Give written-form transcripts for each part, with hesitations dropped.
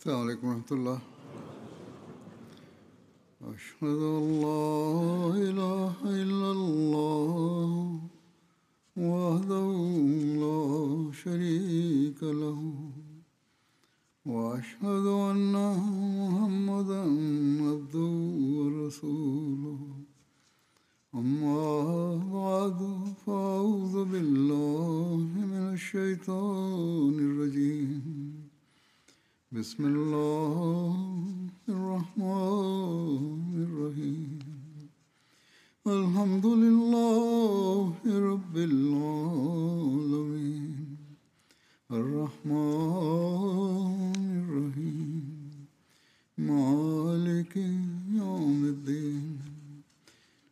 السلام عليڪم ورحمة الله. اشهد ان لا اله الا الله وحده لا شريك له واشهد ان محمدا عبده ورسوله. اما بعد فاعوذ بالله من الشيطان الرجيم. بسم الله الرحمن الرحيم. الحمد لله رب العالمين الرحمن الرحيم مالك يوم الدين.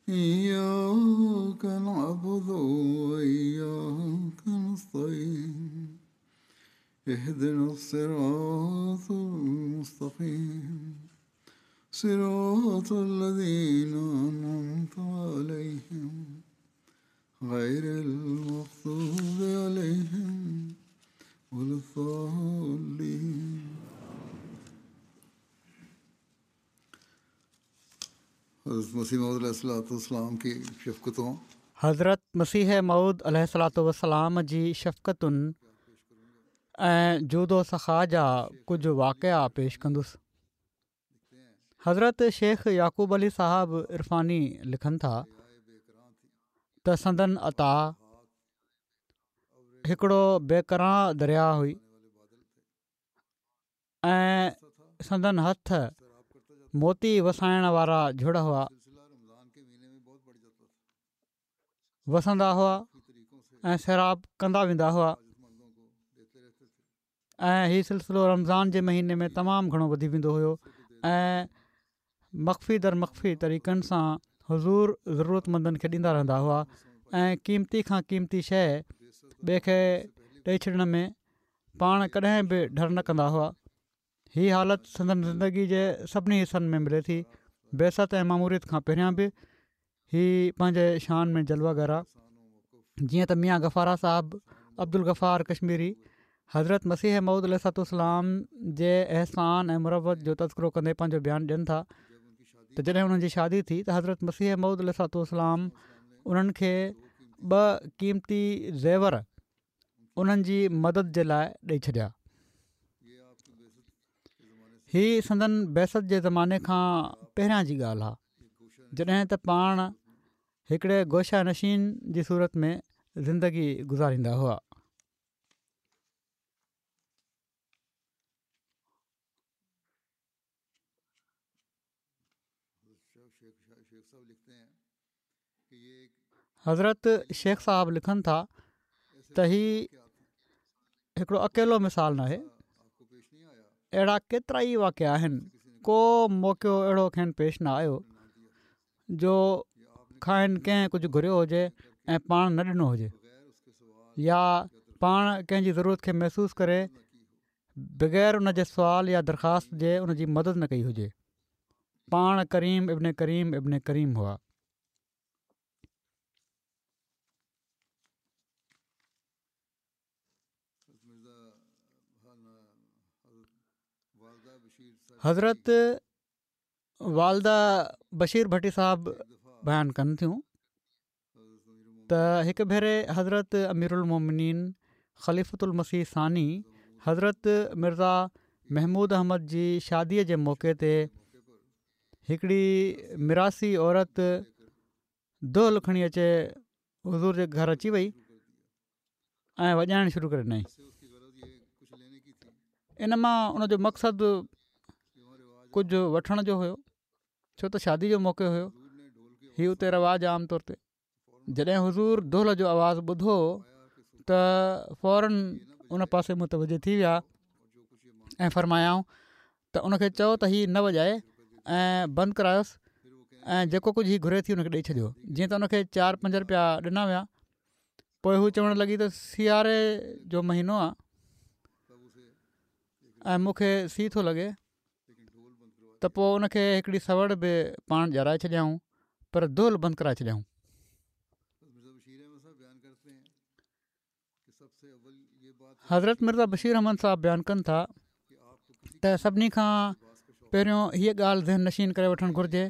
إياك نعبد وإياك نستعين. اهدنا الصراط المستقيم صراط الذين أنعمت عليهم غير المغضوب عليهم ولا الضالين. حضرت مسيح موعود عليه الصلوة والسلام کی شفقتوں حضرت مسيح موعود عليه الصلوة والسلام جي شفقتن ۽ جود و سخا جا ڪجهه واقعا پيش ڪندس. حضرت شيخ يعقوب علي صاحب عرفاني لکن ٿا ته سندن عطا هڪڙو بيڪران درياء هئي ۽ سندن هٿ موتي وسائڻ وارا جهڙ هئا. وسندا هئا ۽ سيراب ڪندا ويندا هئا ۽ هي سلسلو رمضان جي مهيني ۾ تمام گهڻو وڌي ويندو هيو ۽ مخفي در مخفي طريقن سان حضور ضرورت مندن کي ڏيندا رهندا هئا ۽ قيمتي کان قيمتي شيء ٻئي کي ڏئي ڇڏڻ ۾ پاڻ ڪڏهن به ڍر نه ڪندا هئا. هي حالت سندن زندگي جي سڀني حصن ۾ ملي ٿي. بعثت ۽ ماموريت کان پهريان به هي پنهنجي شان ۾ جلوه گر آ. جيئن ته ميان غفاره صاحب عبدالغفار ڪشميري حضرت مسيح موعود عليه الصلوة والسلام جي احسان ۽ مروت جو تذڪرو ڪندي پنهنجو بيان ڏين ٿا ته جڏهن انهن جي شادي ٿي ته حضرت مسيح موعود عليه الصلوة والسلام انهن کي ٻه قيمتي زيور انهن جي مدد جي لاء ڏئي ڇڏيا. هي سندن بعثت جي زماني کان پهريان جي ڳالهه آهي جڏهن ته پاڻ هڪڙي گوشه نشين جي صورت ۾ زندگي گذاريندا هئا. حضرت شيخ صاحب لکن ٿا ته هي هڪڙو اڪيلو مثال ناهي اهڙا ڪيترا ئي واقعا آهن ڪو موقعو اهڙو کين پيش نه آيو جو کانئن ڪنهن ڪجهه گهريو هجي ۽ پاڻ نه ڏنو هجي يا پاڻ ڪنهن جي ضرورت کي محسوس ڪري بغير ان جي سوال يا درخواست جي ان جي مدد نه ڪئي هجي. پاڻ ڪريم ابن ڪريم ابن ڪريم هئا. حضرت والده بشير ڀٽي صاحب بيان ڪن ٿيون. ته هڪ ڀيري حضرت اميرالمومنين خليفة المسيح ثاني حضرت مرزا محمود احمد جي شاديء جي موقعي تي هڪڙي ميراثي عورت دهل کڻي اچي حضور جي گهر اچي وئي ۽ وڄائڻ شروع ڪري ڏنائين. ان مان ان جو مقصد ڪجهه وٺڻ جو هيو ڇو ته شادي جو موقعو هيو هي اتي رواج عام طور تي جڏهن حضور دهل جو آواز ٻڌو ته فورن ان پاسي متوجه ٿي ويا ۽ فرمايائون ته ان کي چئو ته هي نه وڄائي ۽ بند ڪرايوس ۽ جيڪو ڪجهه هي گهري ٿي ان کي ڏئي ڇڏيو جيئن ته ان کي چار پنج روپيا ڏنا ويا پوء هو چوڻ لڳي ته سياري جو مهينو آ ۽ مون کي سيءُ ٿو لڳي ته پوء ان کي هڪڙي سوڙ به پاڻ ڏيارائي ڇڏيائون پر دهل بند ڪرائي ڇڏيائون. حضرت مرزا بشير احمد صاحب بيان ڪن ٿا. ته سڀني کان پهريون هيء ڳالهه ذهن نشين ڪري وٺڻ گهرجي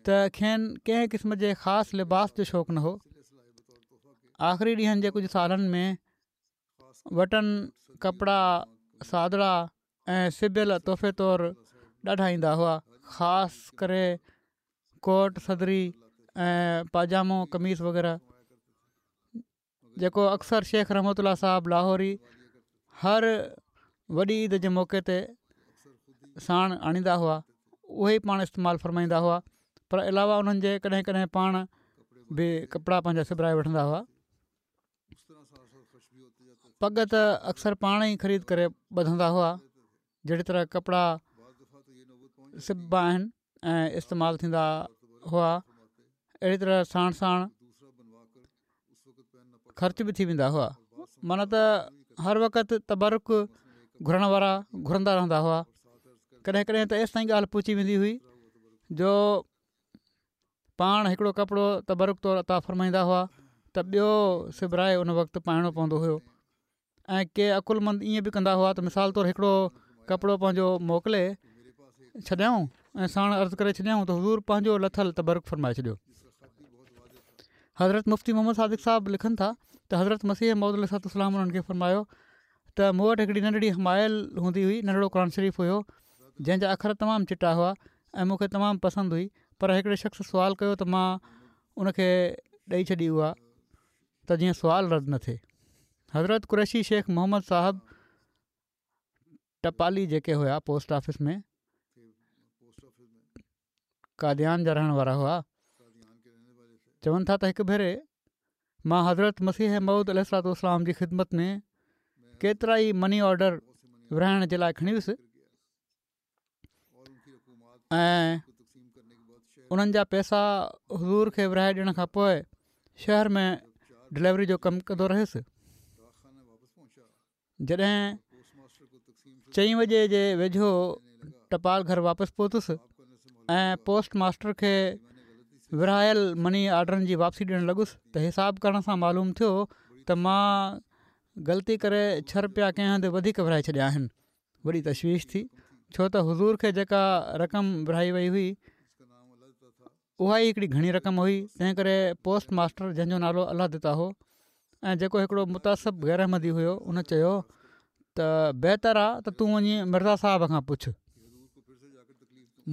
ته کين ڪنهن قسم جي خاص لباس جو شوق نه هو. آخري ڏينهن جي ڪجهه سالن ۾ وٽن ڪپڙا سادڙا ۽ سبيل تحفي طور ڏاڍا ايندا هئا خاص ڪري ڪوٽ صدري ۽ پاجامو قميص وغيره. جيڪو اڪثر شيخ رحمت الله صاحب لاهوري هر وڏي عيد جي موقعي تي ساڻ آڻيندا هئا اهي ئي پاڻ استعمال فرمائيندا هئا پر علاوه انهن جي ڪڏهن ڪڏهن پاڻ به ڪپڙا پنهنجا سبرائي وٺندا هئا پڳ ته اڪثر پاڻ ئي خريد ڪري ٻڌندا هئا جهڙي طرح ڪپڙا سببا آهن ۽ استعمال ٿيندا هئا اهڙي طرح ساڻ ساڻ خرچ به ٿي ويندا هئا معنيٰ ته هر وقت تبرڪ گهرڻ وارا گهرندا رهندا هئا ڪڏهن ڪڏهن ته ايستائين ڳالهه پهچي ويندي هئي جو پاڻ هڪڙو ڪپڙو تبرڪ طور عطا فرمائيندا هئا ته ٻيو سبرائي ان وقت پائڻو پوندو هيو ۽ ڪي عقلمند ائين به ڪندا هئا ته مثال طور هڪڙو ڪپڙو پنهنجو موڪلي ڇڏيائون ۽ ساڻ عرض ڪري ڇڏيائون ته حضور پنهنجو لٿل تبرڪ فرمائي ڇڏيو. حضرت مفتي محمد صادق صاحب لکن ٿا ته حضرت مسيح موعود عليه الصلوة والسلام انهن کي فرمايو ته مون وٽ هڪڙي ننڍڙي حمائل هوندي هئي ننڍڙو قرآن شريف هيو جنهن جا اکر تمام چٽا هئا ۽ مون کي تمام پسند هئي پر هڪڙي شخص سوال ڪيو ته مان ان کي ڏئي ڇڏي اها ته جيئن سوال رد نه ٿئي. حضرت قريشي شيخ محمد صاحب ٽپالي جيڪي هيا پوسٽ آفيس ۾ قاديان جا رهڻ وارا هئا چون ٿا ته هڪ ڀيري مان حضرت مسيح موعود عليه الصلوة والسلام جي خدمت ۾ ڪيترا ئي مني آرڊر ورهائڻ جي لاء کڻي ويس ۽ انهن جا پئسا حضور کي ورهائي ڏيڻ کان پوء شهر ۾ ڊليوري جو ڪم ڪندو رهيس جڏهن چئين وڄي جي ويجهو ٽپال گهر واپس پهتس ۽ پوسٽ ماسٽر کي ورهايل مني آرڊرن جي واپسي ڏيڻ لڳس ته حساب ڪرڻ سان معلوم ٿيو ته مان غلطي ڪري ڇهه رپيا ڪنهن هنڌ وڌيڪ ورهائي ڇڏيا آهن وڏي تشويش ٿي ڇو ته حضور کي جيڪا رقم ورهائي وئي هئي اها ئي هڪڙي گهڻي رقم هئي تنهن ڪري پوسٽ ماسٽر جنهن جو نالو الله دتا هو ۽ جيڪو هڪڙو متعصب غير احمدي هيو ان چيو ته بهتر آ ته تون وڃي مرزا صاحب کان پڇ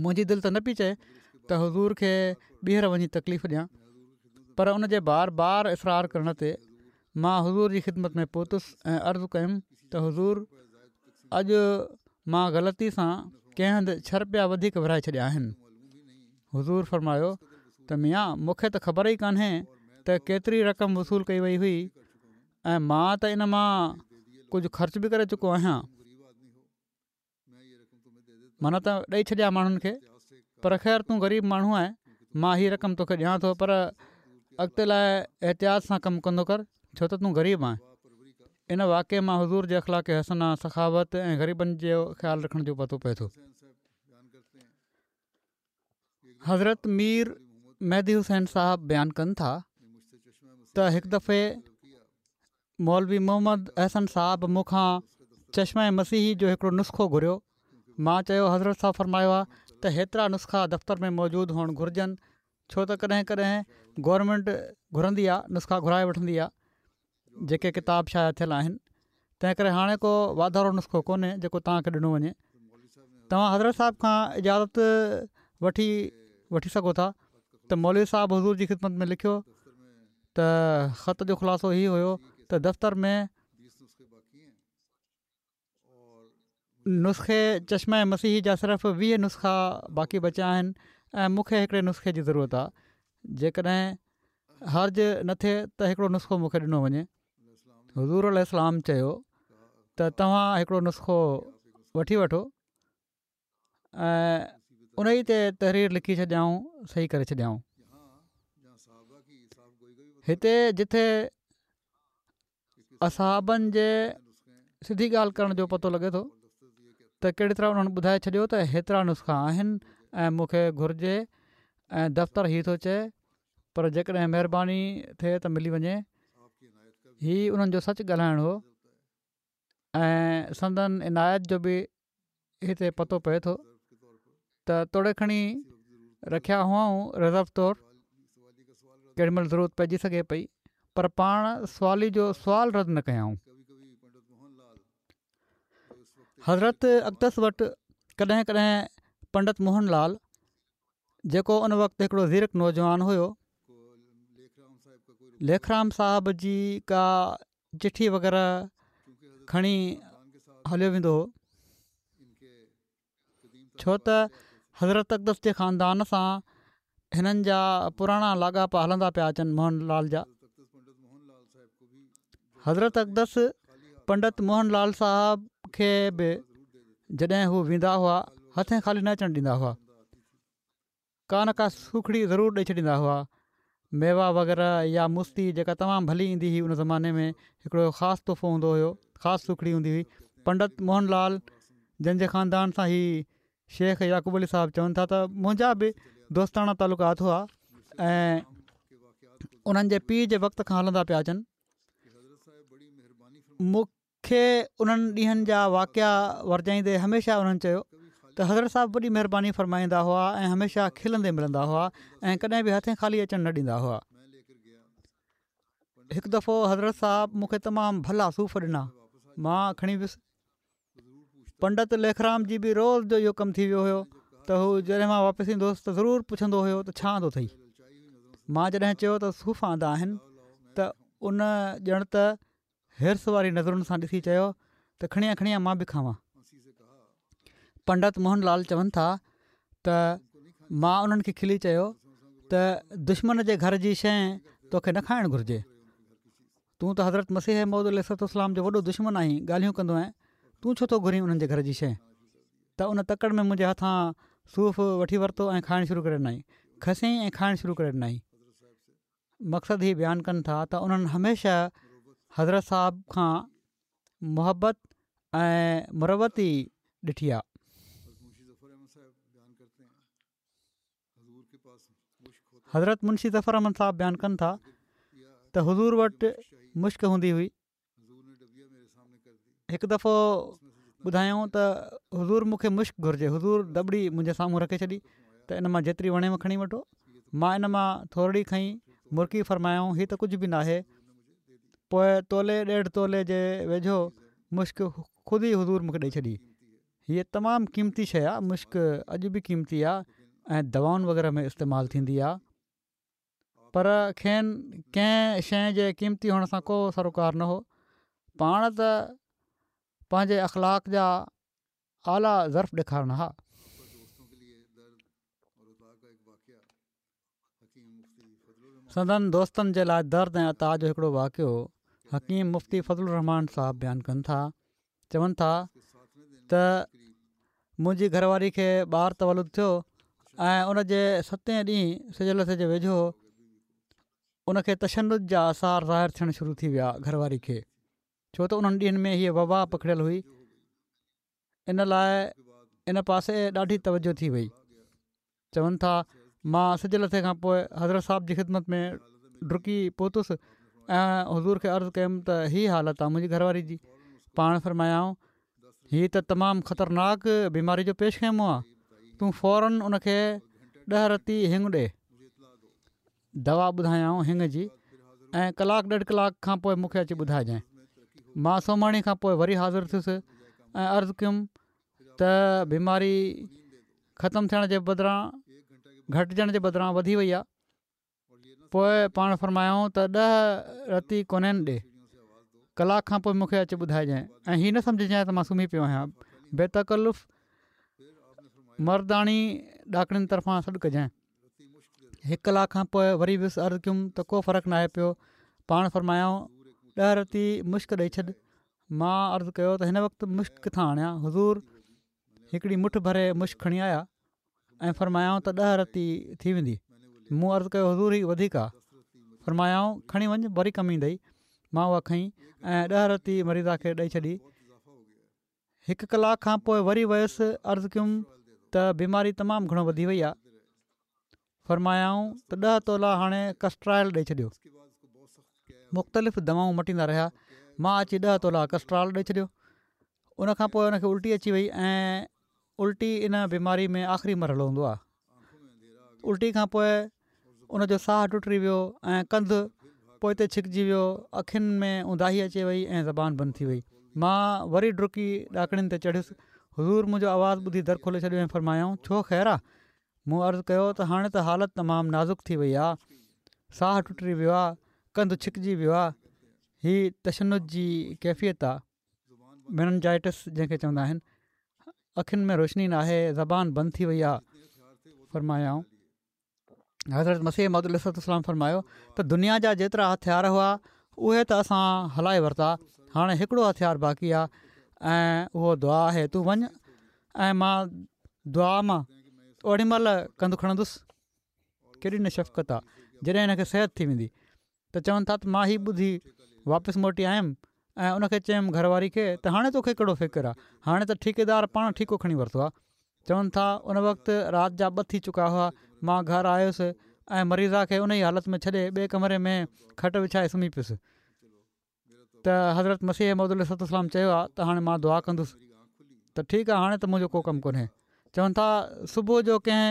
منهنجي دل ته نه پئي چئي ته حضور کي ٻيهر وڃي تڪليف ڏيان پر ان جي بار بار اصرار ڪرڻ تي مان حضور جي خدمت ۾ پهتس ۽ عرض ڪيم ته حضور اڄ مان غلطي سان ڪنهن هنڌ ڇهه رپيا وڌيڪ ورهائي ڇڏيا آهن. حضور فرمايو ته ميان مون کي ته خبر ئي ڪانهي ته ڪيتري رقم وصول ڪئي وئي هئي ۽ مان ته ان مان ڪجهه خرچ به ڪري چڪو آهيان. معنيٰ ته ڏئي ڇڏيا ماڻهن کي پر خير تون غريب ماڻهو آهين مان هي رقم توکي ڏيان ٿو پر اڳتي لاء احتياط سان ڪم ڪندو ڪر ڇو ته تون غريب آهين ان واقعي مان حضور جي اخلاق حسنه سخاوت ۽ غريبن جو خيال رکڻ جو پتو پئي ٿو. حضرت مير مهدي حسين صاحب بيان ڪن ٿا ته هڪ دفعي مولوي محمد احسن صاحب مون کان چشمه مسيحي جو هڪڙو نسخو گهريو مان چيو حضرت صاحب فرمايو آهي ته هيترا نسخا دفتر ۾ موجود هئڻ گهرجن ڇو ته ڪڏهن ڪڏهن گورنمينٽ گهرندي آهي نسخا گهرائي وٺندي آهي جيڪي ڪتاب شايع ٿيل آهن تنهن ڪري هاڻي ڪو واڌارو نسخو ڪونهي جيڪو توهان کي ڏنو وڃي توهان حضرت صاحب کان اجازت وٺي وٺي سگهو ٿا ته مولوي صاحب حضور جي خدمت ۾ لکيو ته خط جو خلاصو هي هيو ته دفتر ۾ نسخي چشمه مسيحي جا صرف 20 نسخا باقي بچيا آهن ۽ مون کي هڪڙي نسخي جي ضرورت آهي جيڪڏهن حرج نه ٿئي ته هڪڙو نسخو مون کي ڏنو وڃي. حضور عليه السلام چيو ته توهان هڪڙو نسخو وٺي وٺو ۽ ان ئي تي تحرير لکي ڇڏيائون صحيح ڪري ڇڏيائون. هتي جتي اصحابن جي سڌي ڳالهه ڪرڻ جو پتو لڳي ٿو ته ڪهڙي طرح انهن ٻڌائي ڇڏيو ته هيترا نسخا آهن ۽ مون کي گهرجي ۽ دفتر هي ٿو چئي پر جيڪڏهن مهرباني ٿئي ته ملي وڃي هي انهن جو سچ ڳالهائڻ هو ۽ سندن عنايت جو به هتي پتو پئي ٿو ته توڙي کڻي رکيا هئائون رزرو طور ڪيڏي مهل ضرورت پئجي سگهي پئي پر پاڻ سوالي جو سوال رد نه ڪيائون. حضرت اقدس وٽ ڪڏهن ڪڏهن پنڊت موهن لال جيڪو ان وقت هڪڙو زيرڪ نوجوان هيو ليکرام صاحب جي ڪا چٺي وغيره کڻي هليو ويندو هو ڇو ته حضرت اقدس جي خاندان سان هنن جا پراڻا لاڳاپا هلندا پيا اچن موهن لال جا حضرت اقدس پنڊت موهن لال صاحب کي به جڏهن هو ويندا هئا هٿين خالي نه اچڻ ڏيندا هئا ڪا نه ڪا سوکڙي ضرور ڏئي ڇڏيندا هئا ميوا وغيره يا مستي جيڪا تمام ڀلي ايندي هئي ان زماني ۾ هڪڙو خاص تحفو هوندو هيو خاص سوکڙي هوندي هئي پنڊت موهن لال جن جي خاندان سان هي شيخ يعقوب علي صاحب چون ٿا ته منهنجا به دوستاڻا تعلقات هئا ۽ انهن جي پيء جي وقت کان هلندا پيا اچن مون کي انهن ڏينهن جا واقعا ورجائيندي هميشه انهن چيو ته حضرت صاحب وڏي مهرباني فرمائيندا هئا ۽ هميشه کلندي ملندا هئا ۽ ڪڏهن به هٿين خالي اچڻ نه ڏيندا هئا هڪ دفعو حضرت صاحب مون کي تمام ڀلا صوف ڏنا مان کڻي ويس پنڊت ليکرام جي به روز جو اهو ڪم ٿي ويو هيو ته هو جڏهن مان واپس ايندو هوس ته ضرور پڇندو هيو ته ڇا آندو اٿئي؟ مان جڏهن چيو ته صوف آندا آهن ته ان ڄڻ ته حرص واري نظرن سان ڏسي چيو ته کڻي آ کڻي آ مان به کاوان. پنڊت موهن لال چون ٿا ته مان انهن کي کلي چيو ته دشمن جي گهر جي شيء توکي نه کائڻ گهرجي. تون ته حضرت مسيح موعود عليه الصلوة والسلام جو وڏو دشمن آهين، ڳالهيون ڪندو آهين، تون ڇو ٿو گهرين انهن جي گهر جي شيء؟ ته ان تڪڙ ۾ منهنجي هٿان صوف وٺي ورتو ۽ کائڻ شروع ڪري ڏنائين. کسيائين ۽ کائڻ شروع ڪري ڏنائين. مقصد هي بيان ڪن ٿا ته انهن هميشه حضرت صاحب کان محبت ۽ مروت ئي ڏٺي آ. حضرت منشي ظفر احمد صاحب بيان ڪن ٿا ته حضور وٽ مشڪ هوندي هئي هڪ دفعو ٻڌايائون ته حضور مون کي مشڪ گهرجي حضور دٻڙي منهنجي سامهون رکي ڇڏي ته ان مان جيتري وڻيو کڻي وٺو مان ان مان ٿورڙي کنئي مرڪي فرمايائون هي ته ڪجهه به ناهي پوء تولي ڏيڍ تولي جي ويجهو مشڪ خود ئي حضور مون کي ڏئي ڇڏي هيء تمام قيمتي شيء آ، مشڪ اڄ به قيمتي آ ۽ دوائن وغيره ۾ استعمال ٿيندي آ، پر کين ڪنهن شيء جي قيمتي هئڻ سان ڪو سروڪار نه هو، پاڻ ته پنهنجي اخلاق جا اعليٰ ظرف ڏيکارن ها. سندن دوستن جي لاء درد ۽ عطا جو هڪڙو واقعو حڪيم مفتي فضل الرحمان صاحب بيان ڪن ٿا چون ٿا ته منهنجي گهر واري کي ٻار تولد ٿيو ۽ ان جي ستين ڏينهن سج لٿي جي ويجهو ان کي تشنج جا آثار ظاهر ٿيڻ شروع ٿي ويا گهر واري کي ڇو ته انهن ڏينهن ۾ هيء وبا پکڙيل هئي ان لاء ان پاسي ڏاڍي توجه ٿي وئي. چون ٿا، مان سج لٿي کان پوء حضرت صاحب جي خدمت ۾ ڊڪي پهتس ۽ حضور کي عرض ڪيم ته هي حالت آ منهنجي گهر واري جي. پاڻ فرمايائون، هي ته تمام خطرناڪ بيماري جو پيش خيمو آ، تون فوراً ان کي ڏهه رتي هڱ ڏي. دوا ٻڌايائون هڱ جي ۽ ڪلاڪ ڏيڍ ڪلاڪ کان پوء مون کي اچي ٻڌائجانء. مان سومهاڻي کان پوء وري حاضر ٿيس ۽ عرض ڪيم ته بيماري ختم ٿيڻ جي بدران گهٽجڻ جي بدران وڌي وئي آهي. پوء پاڻ فرمايائون ته ڏهه رتي ڪونين ڏي. ڪلاڪ کان پوء مون کي اچي ٻڌائجانء ۽ هي نه سمجهجانء ته مان سمهي پيو آهيان. بي تڪلف مرداڻي ڏاڪڻين طرفان سڏ ڪجانء. هڪ ڪلاڪ کان پوء وري ويس عرض ڪيم ته ڪو فرق ناهي پيو پاڻ فرمايائون ڏهه رتي مشڪ ڏئي ڇڏ مان عرض ڪيو ته هن وقت مشڪ ڪٿان آڻيان حضور هڪڙي مٺ ڀري مشڪ کڻي آيا ۽ فرمايائون ته ڏهه رتي ٿي ويندي مون عرض ڪيو حضور هي وڌيڪ آ فرمايائون کڻي وڃ وري ڪم ايندئي مان اها کنئي ۽ ڏهه رتي مريضا کي ڏئي ڇڏي هڪ ڪلاڪ کان پوء وري ويس عرض ڪيم ته بيماري تمام گهڻو وڌي وئي آهي فرمايائون ته ڏهه تولا هاڻي ڪسٽرائل ڏئي ڇڏيو مختلف دوائون مٽيندا رهيا مان اچي ڏهه تولا ڪسٽرال ڏئي ڇڏيو ان کان پوء ان کي الٽي اچي وئي ۽ الٽي ان بيماري ۾ آخري مرحلو هوندو آهي. الٽي کان پوء ان جو ساهه ٽٽي ويو ۽ ڪنڌ پوئتي ڇڪجي ويو، اکين ۾ اونداهي اچي وئي ۽ زبان بند ٿي وئي. مان وري ڊڪي ڏاڪڻين تي چڙهيس. حضور منهنجو آواز ٻڌي در کولي ڇڏيو ۽ فرمايائون، ڇو خير آ؟ مون عرض ڪيو ته هاڻي ته حالت تمام نازڪ ٿي وئي آ، ساهه ٽٽي ويو آ، ڪنڌ ڇڪجي ويو آ، هي تشنج جي ڪيفيت آ. ميننجائٽس جنهن کي چوندا آهن اکين ۾ روشني ناهي زبان بند ٿي وئي آهي فرمايائون حضرت مسيح موعود عليه الصلوة والسلام فرمايو ته دنيا جا جيترا هٿيار هئا اهي ته اسان هلائي ورتا هاڻي هڪڙو هٿيار باقي آهي ۽ اهو دعا آهي تون وڃ ۽ مان دعا مان اوڏي مهل ڪنڌ کڻندس ڪيڏي نه شفقت آ جڏهن هن کي صحت ٿي ويندي ته چون ٿا ته مان هي ٻڌي واپس موٽي آيم ۽ ان کي چيم گهر واري کي ته هاڻي توکي ڪهڙو فڪر آ هاڻي ته ٺيڪيدار پاڻ ٺيڪو کڻي ورتو آ چون ٿا ان وقت رات جا ٻه ٿي چڪا هئا مان گهر آيس ۽ مريضا کي ان ئي حالت ۾ ڇڏي ٻئي ڪمري ۾ کٽ وڇائي سمهي پيس ته حضرت مسيح موعود عليه الصلوة والسلام چيو آ ته هاڻي مان دعا ڪندس ته ٺيڪ آ هاڻي ته منهنجو ڪو ڪم ڪونهي چون ٿا صبح جو ڪنهن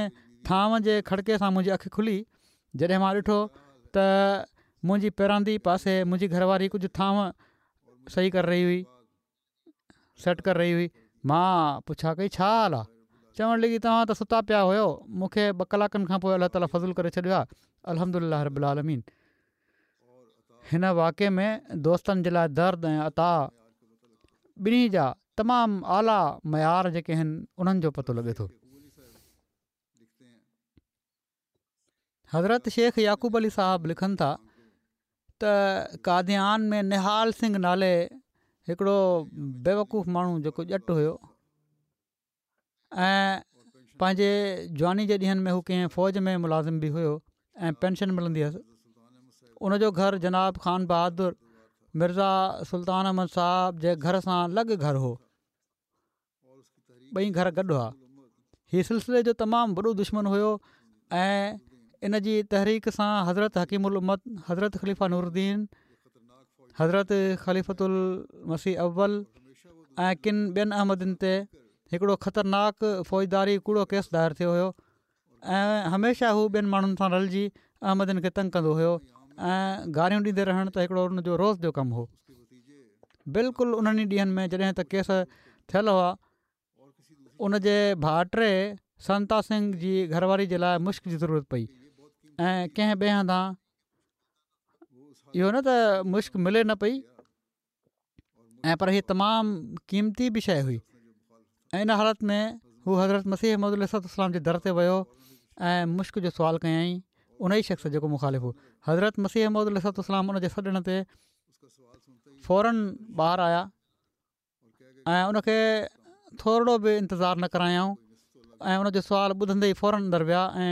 ٿانو جي کڙڪي سان منهنجي اک کلي جڏهن مان ڏٺو ته منهنجي پيراندي پاسي منهنجي گهر واري ڪجهه ٿانو صحيح ڪري رهي هئي سيٽ ڪري رهي هئي مان پڇا ڪئي ڇا حال آ چوڻ لڳي توهان ته ستا پيا هيو مون کي ٻه ڪلاڪن کان پوء الله تعالي فضل ڪري ڇڏيو آ الحمدلله رب العالمين هن واقعي ۾ دوستن جي لاء درد ۽ عطا ٻنهي جا تمام اعليٰ معيار جيڪي آهن انهن جو پتو لڳي ٿو. حضرت شيخ يعقوب علي صاحب لکن ٿا ته قاديان ۾ نهال سنگهه نالي هڪڙو بيوقوف ماڻهو جيڪو ڄٽ هيو ۽ پنهنجي جواني جي ڏينهن ۾ هو ڪنهن فوج ۾ ملازم به هيو ۽ پينشن ملندي هيس ان جو گهر جناب خان بهادر مرزا سلطان احمد صاحب جي گهر سان لڳ گهر هو ٻئي گهر گڏ هئا هي سلسلي جو تمام وڏو دشمن هيو ۽ ان جي تحريڪ سان حضرت حڪيم الامت حضرت خليفه نور الدين حضرت خليفة المسيح اول ۽ ڪن ٻين احمدين تي هڪڙو خطرناڪ فوجداري ڪوڙو ڪيس دائر ٿيو هيو ۽ هميشه هو ٻين ماڻهن سان رلجي احمدين کي تنگ ڪندو هيو ۽ گاريون ڏيندي رهڻ ته هڪڙو ان جو روز جو ڪم هو بلڪل انهن ئي ڏينهن ۾ جڏهن ته ڪيس ٿيل هئا ان جي ڀائٽي سنتا سنگهه جي گهر واري جي لاء مشڪ جي ضرورت پئي ۽ ڪنهن ٻئي هنڌان اهو نه ته مشڪ ملي نه پئي ۽ پر هي تمام قيمتي به شيء هئي ۽ ان حالت ۾ هو حضرت مسيح موعود عليه الصلوة والسلام جي در تي ويو ۽ مشڪ جو سوال ڪيائين ان ئي شخص جيڪو مخالف هو حضرت مسيح موعود عليه الصلوة والسلام ان جي سڏڻ تي فورن ٻاهر آيا ۽ ان کي ٿورڙو به انتظار نه ڪرايائون ۽ ان جو سوال ٻڌندي ئي فورن اندر ويا ۽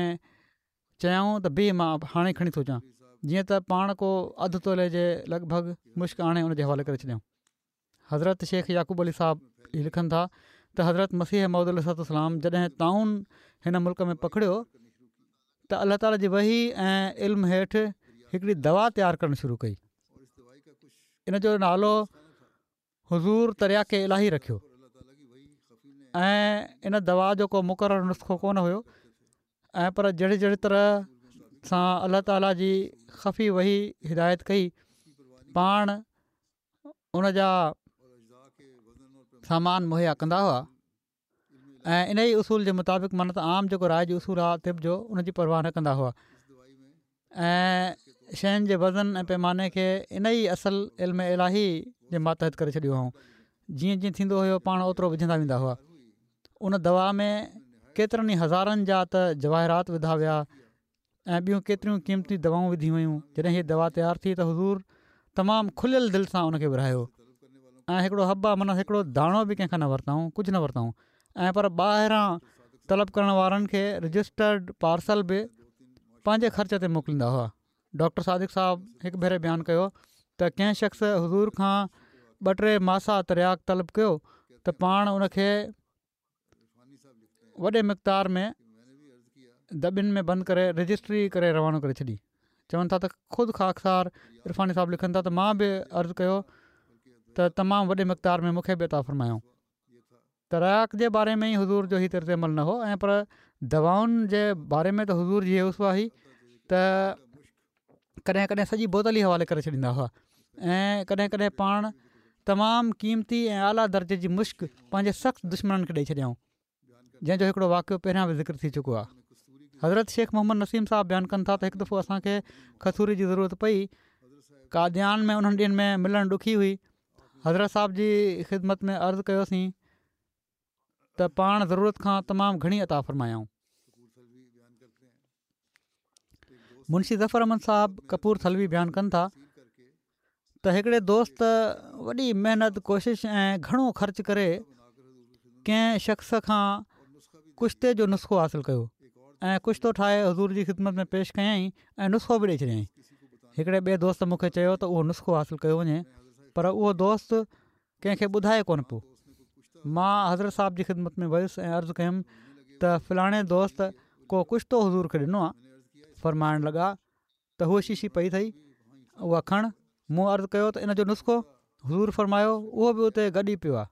چيائون ته بيهه مان هاڻي کڻي ٿو اچان جيئن ته پاڻ ڪو اڌ تولي جي لڳ ڀڳ مشڪ آڻي ان جي حوالي ڪري ڇڏيائون حضرت شيخ يعقوب علي صاحب هي لکن ٿا ته حضرت مسيح موعود عليه الصلوة والسلام جڏهن طاعون هن ملڪ ۾ پکڙيو ته الله تعالي جي وحي ۽ علم هيٺ هڪڙي دوا تيار ڪرڻ شروع ڪئي ان جو نالو حضور ترياق الاهي رکيو ۽ ان دوا جو ڪو مقرر نسخو ڪونه هيو ۽ پر جهڙي جهڙي طرح سان الله تعالي جي خفي وحي هدايت ڪئي پاڻ ان جا سامان مهيا ڪندا هئا ۽ ان ئي اصول جي مطابق معنيٰ ته عام جيڪو رائج اصول آهي طب جو ان جي پرواهه نه ڪندا هئا ۽ شين جي وزن ۽ پيماني کي ان ئي اصل علم الاهي جي ماتحت ڪري ڇڏيو هئائون جيئن جيئن ٿيندو هيو پاڻ اوترو وجهندا ويندا هئا ان دوا ۾ ڪيترن ئي هزارن جا ته جواهرات وڌا ويا ۽ ٻيون ڪيتريون قيمتي دوائون وڌيون ويون جڏهن هيء دوا تيار ٿي ته حضور تمام کليل دل سان ان کي ورهايو ۽ هڪڙو حبه معنيٰ هڪڙو داڻو به ڪنهن کان نه ورتائون ڪجهه نه ورتائون ۽ پر ٻاهران طلب ڪرڻ وارن کي رجسٽرڊ پارسل به پنهنجي خرچ تي موڪليندا هئا ڊاڪٽر صادق صاحب هڪ ڀيري بيان ڪيو ته ڪنهن شخص حضور کان ٻه ٽي ماسا ترياق طلب ڪيو ته پاڻ ان کي وڏي مقدار ۾ دٻين ۾ بند ڪري رجسٽري ڪري روانو ڪري ڇڏي. چون ٿا ته خود خاڪسار عرفاني صاحب لکن ٿا ته مان به عرض ڪيو ته تمام وڏي مقدار ۾ مون کي به عطا فرمايائون. ترياق جي باري ۾ ئي حضور جو هي طرز عمل نه هو ۽ پر دوائن جي باري ۾ ته حضور جي هي اسوه هئي ته ڪڏهن ڪڏهن سڄي بوتل ئي حوالي ڪري ڇڏيندا هئا ۽ ڪڏهن ڪڏهن پاڻ تمام قيمتي ۽ اعليٰ درجي جي مشڪ پنهنجي سخت دشمنن کي ڏئي ڇڏيائون جنهن جو هڪڙو واقعو پهريان به ذڪر ٿي چڪو آهي. حضرت شيخ محمد نسيم صاحب بيان ڪن ٿا ته هڪ دفعو اسان کي کسوري جي ضرورت پئي قاديان ۾ انهن ڏينهن ۾ ملڻ ڏکي هئي حضرت صاحب جي خدمت ۾ عرض ڪيوسين ته پاڻ ضرورت کان تمام گهڻي عطا فرمايائون. منشي ظفر احمد صاحب ڪپور ٿلوي بيان ڪن ٿا ته هڪڙي دوست وڏي محنت ڪوشش ۽ گهڻو خرچ ڪري ڪنهن شخص کان ڪشتي جو نسخو حاصل ڪيو ۽ ڪشتو ٺاهي حضور جي خدمت ۾ پيش ڪيائين ۽ نسخو به ڏئي ڇڏيائين هڪڙي ٻئي دوست مون کي چيو ته اهو نسخو حاصل ڪيو وڃي پر اهو دوست ڪنهن کي ٻڌائي ڪونه پيو. مان حضرت صاحب جي خدمت ۾ ويس ۽ عرض ڪيم ته فلاڻي دوست ڪو ڪشتو حضور کي ڏنو آ. فرمائڻ لڳا ته هوء شيشي پئي اٿئي اها کڻ. مون عرض ڪيو ته ان جو نسخو؟ حضور فرمايو اهو به اتي گڏ ئي پيو آ.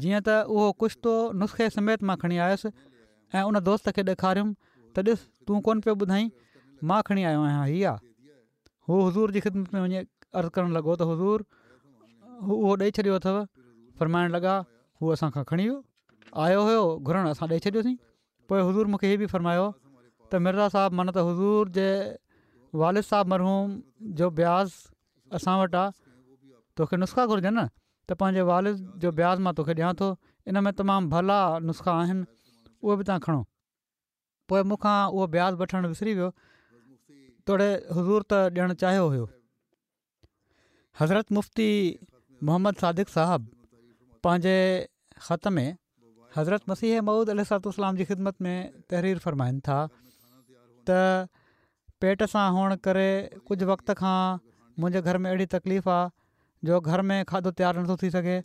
جيئن ته اهو ڪشتو نسخي سميت مان کڻي آيس ۽ ان دوست کي ڏيکاريم ته ڏس تون ڪونه پيو ٻڌائين مان کڻي آيو آهيان هي آ. هو حضور جي خدمت ۾ وڃي عرض ڪرڻ لڳو ته حضور اهو ڏئي ڇڏيو اٿو فرمائڻ لڳا هو اسان کان کڻي ويو آيو هيو گهرڻ اسان ڏئي ڇڏيوسين پوء حضور مونکي هي به فرمايو ته مرزا صاحب معنيٰ ته حضور جي والد صاحب مرحوم جو بياض اسان وٽ آ توکي نسخا گهرجن نه ته پنهنجي والد جو بياض مان توکي ڏيان ٿو ان ۾ تمام ڀلا نسخا آهن اهي به توهان کڻو پوء مون کان اهو بياض وٺڻ وسري ويو توڙي حضور ته ڏيڻ چاهيو هيو. حضرت مفتي محمد صادق صاحب پنهنجي خط ۾ حضرت مسيح موعود عليه الصلوة والسلام جي خدمت ۾ تحرير فرمائن ٿا ته پيٽ سان هئڻ ڪري ڪجهه وقت کان منهنجي گهر ۾ اهڙي تڪليف آ جو گهر ۾ کاڌو تيار نٿو ٿي سگهي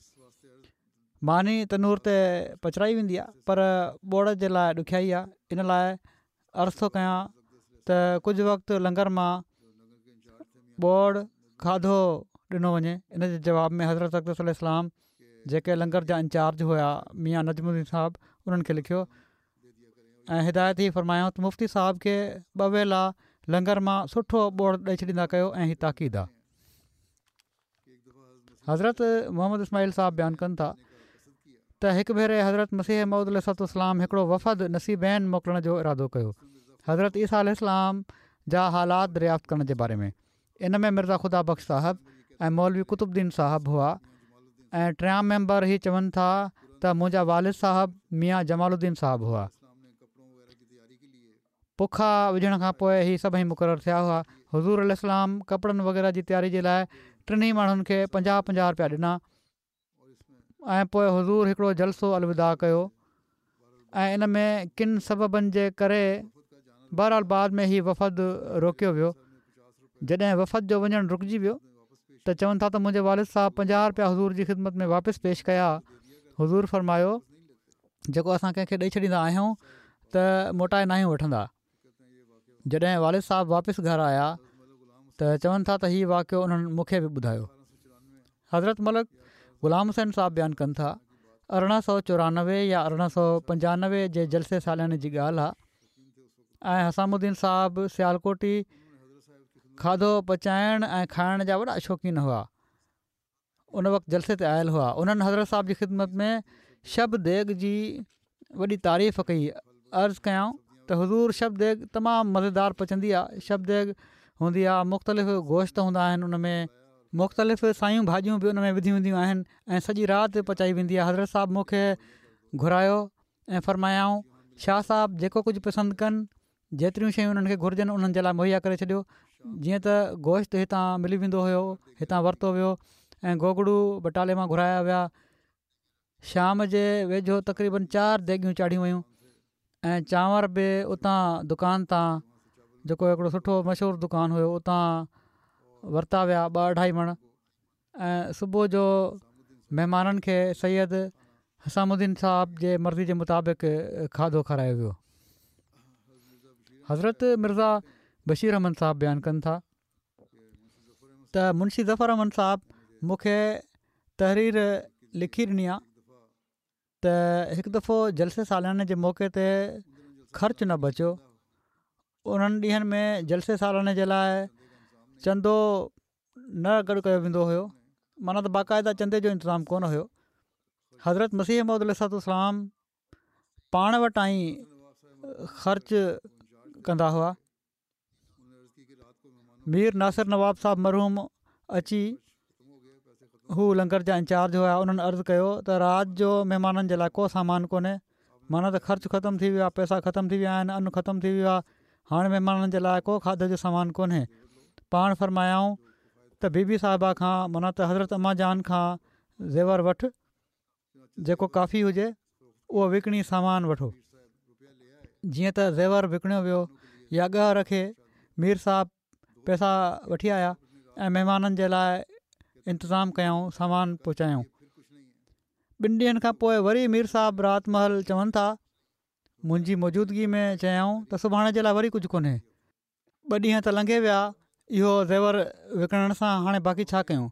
ماني تنور تي پچرائي ويندي آهي پر ٻوڙ جي لاء ڏکيائي آهي ان لاء عرض ٿو ڪيان ته ڪجهه وقت لنگر مان ٻوڙ کاڌو ڏنو وڃي ان جي جواب ۾ حضرت اقدس عليه السلام جيڪي لنگر جا انچارج هيا ميان نجم الدين صاحب انهن کي لکيو ۽ هدايت هي فرمايائون ته مفتي صاحب کي ٻه ويلا لنگر مان سٺو ٻوڙ ڏئي ڇڏيندا ڪيو ۽ هي تاڪيد آهي. حضرت محمد اسماعيل صاحب بيان ڪن ٿا ته هڪ ڀيري حضرت مسيح موعود عليه الصلوة والسلام هڪڙو وفد نصيبين موڪلڻ جو ارادو ڪيو حضرت عيسيٰ عليه السلام جا حالات دريافت ڪرڻ جي باري ۾ ان ۾ مرزا خدا بخش صاحب ۽ مولوي قطب الدين صاحب هئا ۽ ٽيان ميمبر هي چون ٿا ته منهنجا والد صاحب ميان جمال الدين صاحب هئا. پکا وجهڻ کان پوء هي سڀئي مقرر ٿيا هئا. حضور عليه السلام ڪپڙن وغيره جي تياري جي لاء ٽنهي ماڻهن کي پنجاهه پنجاهه رپيا ڏنا ۽ پوء حضور هڪڙو جلسو الوداع ڪيو ۽ ان ۾ ڪن سببن جي ڪري بهرحال بعد ۾ هي وفد روڪيو ويو جڏهن وفد جو وڃڻ رڪجي ويو ته چون ٿا ته منهنجي والد صاحب پنجاهه رپيا حضور جي خدمت ۾ واپس پيش ڪيا حضور فرمايو جيڪو اسان ڪنهن کي ڏئي ڇڏيندا آهيون ته موٽائي ناهيون وٺندا. جڏهن والد صاحب واپس گهر آيا ته چون ٿا ته هي واقعو انهن مون کي به ٻڌايو. حضرت ملڪ غلام حسين صاحب بيان ڪن ٿا، 1894 يا 1895 جي جلسي سالياني جي ڳالهه آهي ۽ حسام الدين صاحب سيالڪوٽي کاڌو پچائڻ ۽ کائڻ جا وڏا شوقين هئا. ان وقت جلسي تي آيل هئا انهن حضرت صاحب جي خدمت ۾ شب ديگ جي وڏي تعريف ڪئي عرض ڪيائون ته حضور شب ديگ تمام مزيدار پچندي آ شب ديگ هوندي آ مختلف گوشت هوندا آهن ان ۾ مختلف سايون ڀاڄيون به ان ۾ وڌيون وينديون آهن ۽ سڄي رات پچائي ويندي آ حضرت صاحب مون کي گهرايو ۽ فرمايائون شاهه صاحب جيڪو ڪجهه پسند ڪن جيتريون شيون انهن کي گهرجن انهن جي لاء مهيا ڪري ڇڏيو جيئن ته گوشت هتان ملي ويندو هيو هتان ورتو ويو ۽ گوگڙو بٽالي مان گهرايا ويا شام جي ويجهو تقريبن چار ديڳيون چاڙهيون ويون ۽ چانور به اتان دڪان تان جيڪو هڪڙو سٺو مشهور دڪان هيو اتان ورتا ويا ٻه اڍائي مڻ ۽ صبح جو مهمانن کي سيد حسام الدين صاحب جي مرضي جي مطابق کاڌو کارايو ويو. حضرت مرزا بشير احمد صاحب بيان ڪن ٿا ته منشي ظفر احمد صاحب مون کي تحرير لکي ڏني آ. ته هڪ دفعو جلسي سالياني جي موقعي تي خرچ نه بچيو انهن ڏينهن ۾ جلسي سالاني جي لاء چندو نه گڏ ڪيو ويندو هيو معنيٰ ته باقاعده چندي جو انتظام ڪونه هيو حضرت مسيح موعود عليه الصلوة والسلام پاڻ وٽان ئي خرچ ڪندا هئا مير ناصر نواب صاحب مرحوم اچي هو لنگر جا انچارج هيا انهن عرض ڪيو ته رات جو مهمانن جي لاء ڪو سامان ڪونهي معنيٰ ته خرچ ختم ٿي ويو آهي پئسا ختم ٿي ويا آهن ان ختم ٿي ويو آهي هاڻي مهمانن جي لاء ڪو کاڌي جو سامان ڪونهي پاڻ فرمايائون ته بي بي صاحبه کان معنيٰ ته حضرت اما جان کان زيور وٺ جيڪو ڪافي هجي اهو وڪڻي سامان وٺو. جيئن ته زيور وڪڻيو ويو يا ڳهه رکي مير صاحب پئسا وٺي آيا ۽ مهمانن جي لاء انتظام ڪيائون سامان پهچايائون. ٻن ڏينهن کان پوء وري مير صاحب رات مهل چون ٿا منهنجي موجودگي ۾ چيائون ته سڀاڻي جي لاء وري ڪجهه ڪونهي. ٻه ڏينهن ته لنگهي ويا اهو زيور وڪڻڻ سان هاڻي باقي ڇا ڪيون؟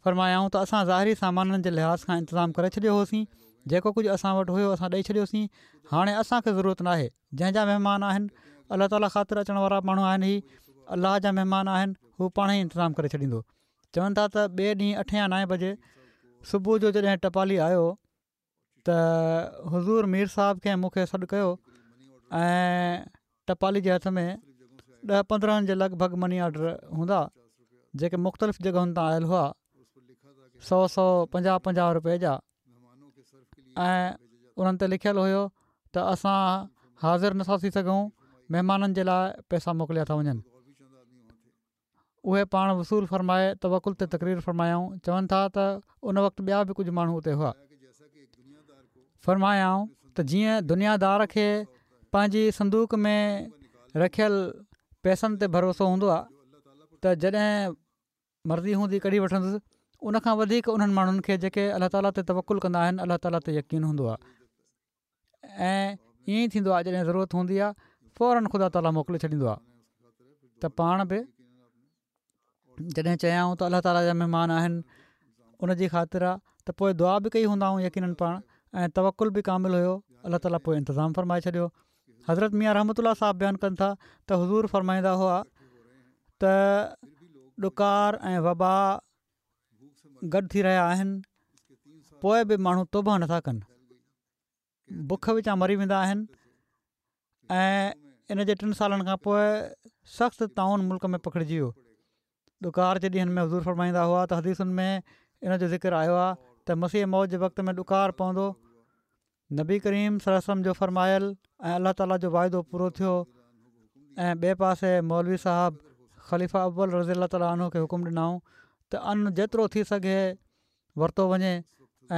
فرمايائون ته اسان ظاهري سامانن جي لحاظ کان انتظام ڪري ڇڏيو هوسين جيڪو ڪجهه اسان وٽ هيو اسان ڏئي ڇڏيوسين هاڻي اسان کي ضرورت ناهي جنهن جا مهمان آهن الله تعالي خاطر اچڻ وارا ماڻهو آهن هي الله جا مهمان آهن هو پاڻ ئي انتظام ڪري ڇڏيندو چون ٿا ته ٻئي ڏينهن اٺين يا نائين بجي صبح جو جڏهن ٽپالي آيو ته حضور مير صاحب کي مون کي سڏ ڪيو ۽ ٽپالي جي هٿ ۾ ڏهه 15 جي لڳ ڀڳ مني آرڊر هوندا جيڪي مختلف جڳهن تان آيل هئا سو سو 50 50 روپئي جا ۽ انهن تي لکيل هيو ته اسان حاضر نٿا ٿي سگهون مهمانن جي لاء پئسا موڪليا ٿا وڃن اهي پاڻ وصول فرمائي توڪل تي تقرير فرمايائون، چون ٿا ته ان وقت ٻيا به ڪجهه ماڻهو اتي هئا. فرمايائون ته جيئن دنيا دار کي پنهنجي صندوق ۾ رکيل پئسن تي ڀروسو هوندو آهي ته جڏهن مرضي هوندي ڪڍي وٺندس ان کان وڌيڪ انهن ماڻهن کي جيڪي الله تعالي تي توڪل ڪندا آهن الله تعالي تي يقين هوندو آهي. ۽ ائين ئي ٿيندو آهي جڏهن ضرورت هوندي آهي فورن خدا تعاليٰ موڪلي ڇڏيندو آهي ته پاڻ به جڏهن چيائون ته الله تعاليٰ جا مهمان آهن ان جي خاطر آ ته پوء دعا به ڪئي هوندائون يقينن پاڻ ۽ توڪل به ڪامل هيو الله تعاليٰ پوء انتظام فرمائي ڇڏيو حضرت ميان رحمت الله صاحب بيان ڪن ٿا ته حضور فرمائيندا هئا ته ڏڪار ۽ وبا گڏ ٿي رهيا آهن پوء به ماڻهو توبه نٿا ڪن بک وچان مري ويندا آهن ۽ ان جي ٽن سالن کان پوء سخت طاعون ملڪ ۾ پکڙجي ويو ڏڪار جي ڏينهن ۾ حضور فرمائيندا هئا ته حديثن ۾ ان جو ذڪر آيو آهي ته مسيح موعود جي وقت ۾ ڏڪار پوندو نبي ڪريم صلي الله عليه وسلم جو فرمايل ۽ الله تعالي جو واعدو پورو ٿيو ۽ ٻئي پاسي مولوي صاحب خليفه اول رضي الله تعالي عنه کي حڪم ڏنائون ته ان جيترو ٿي سگهي ورتو وڃي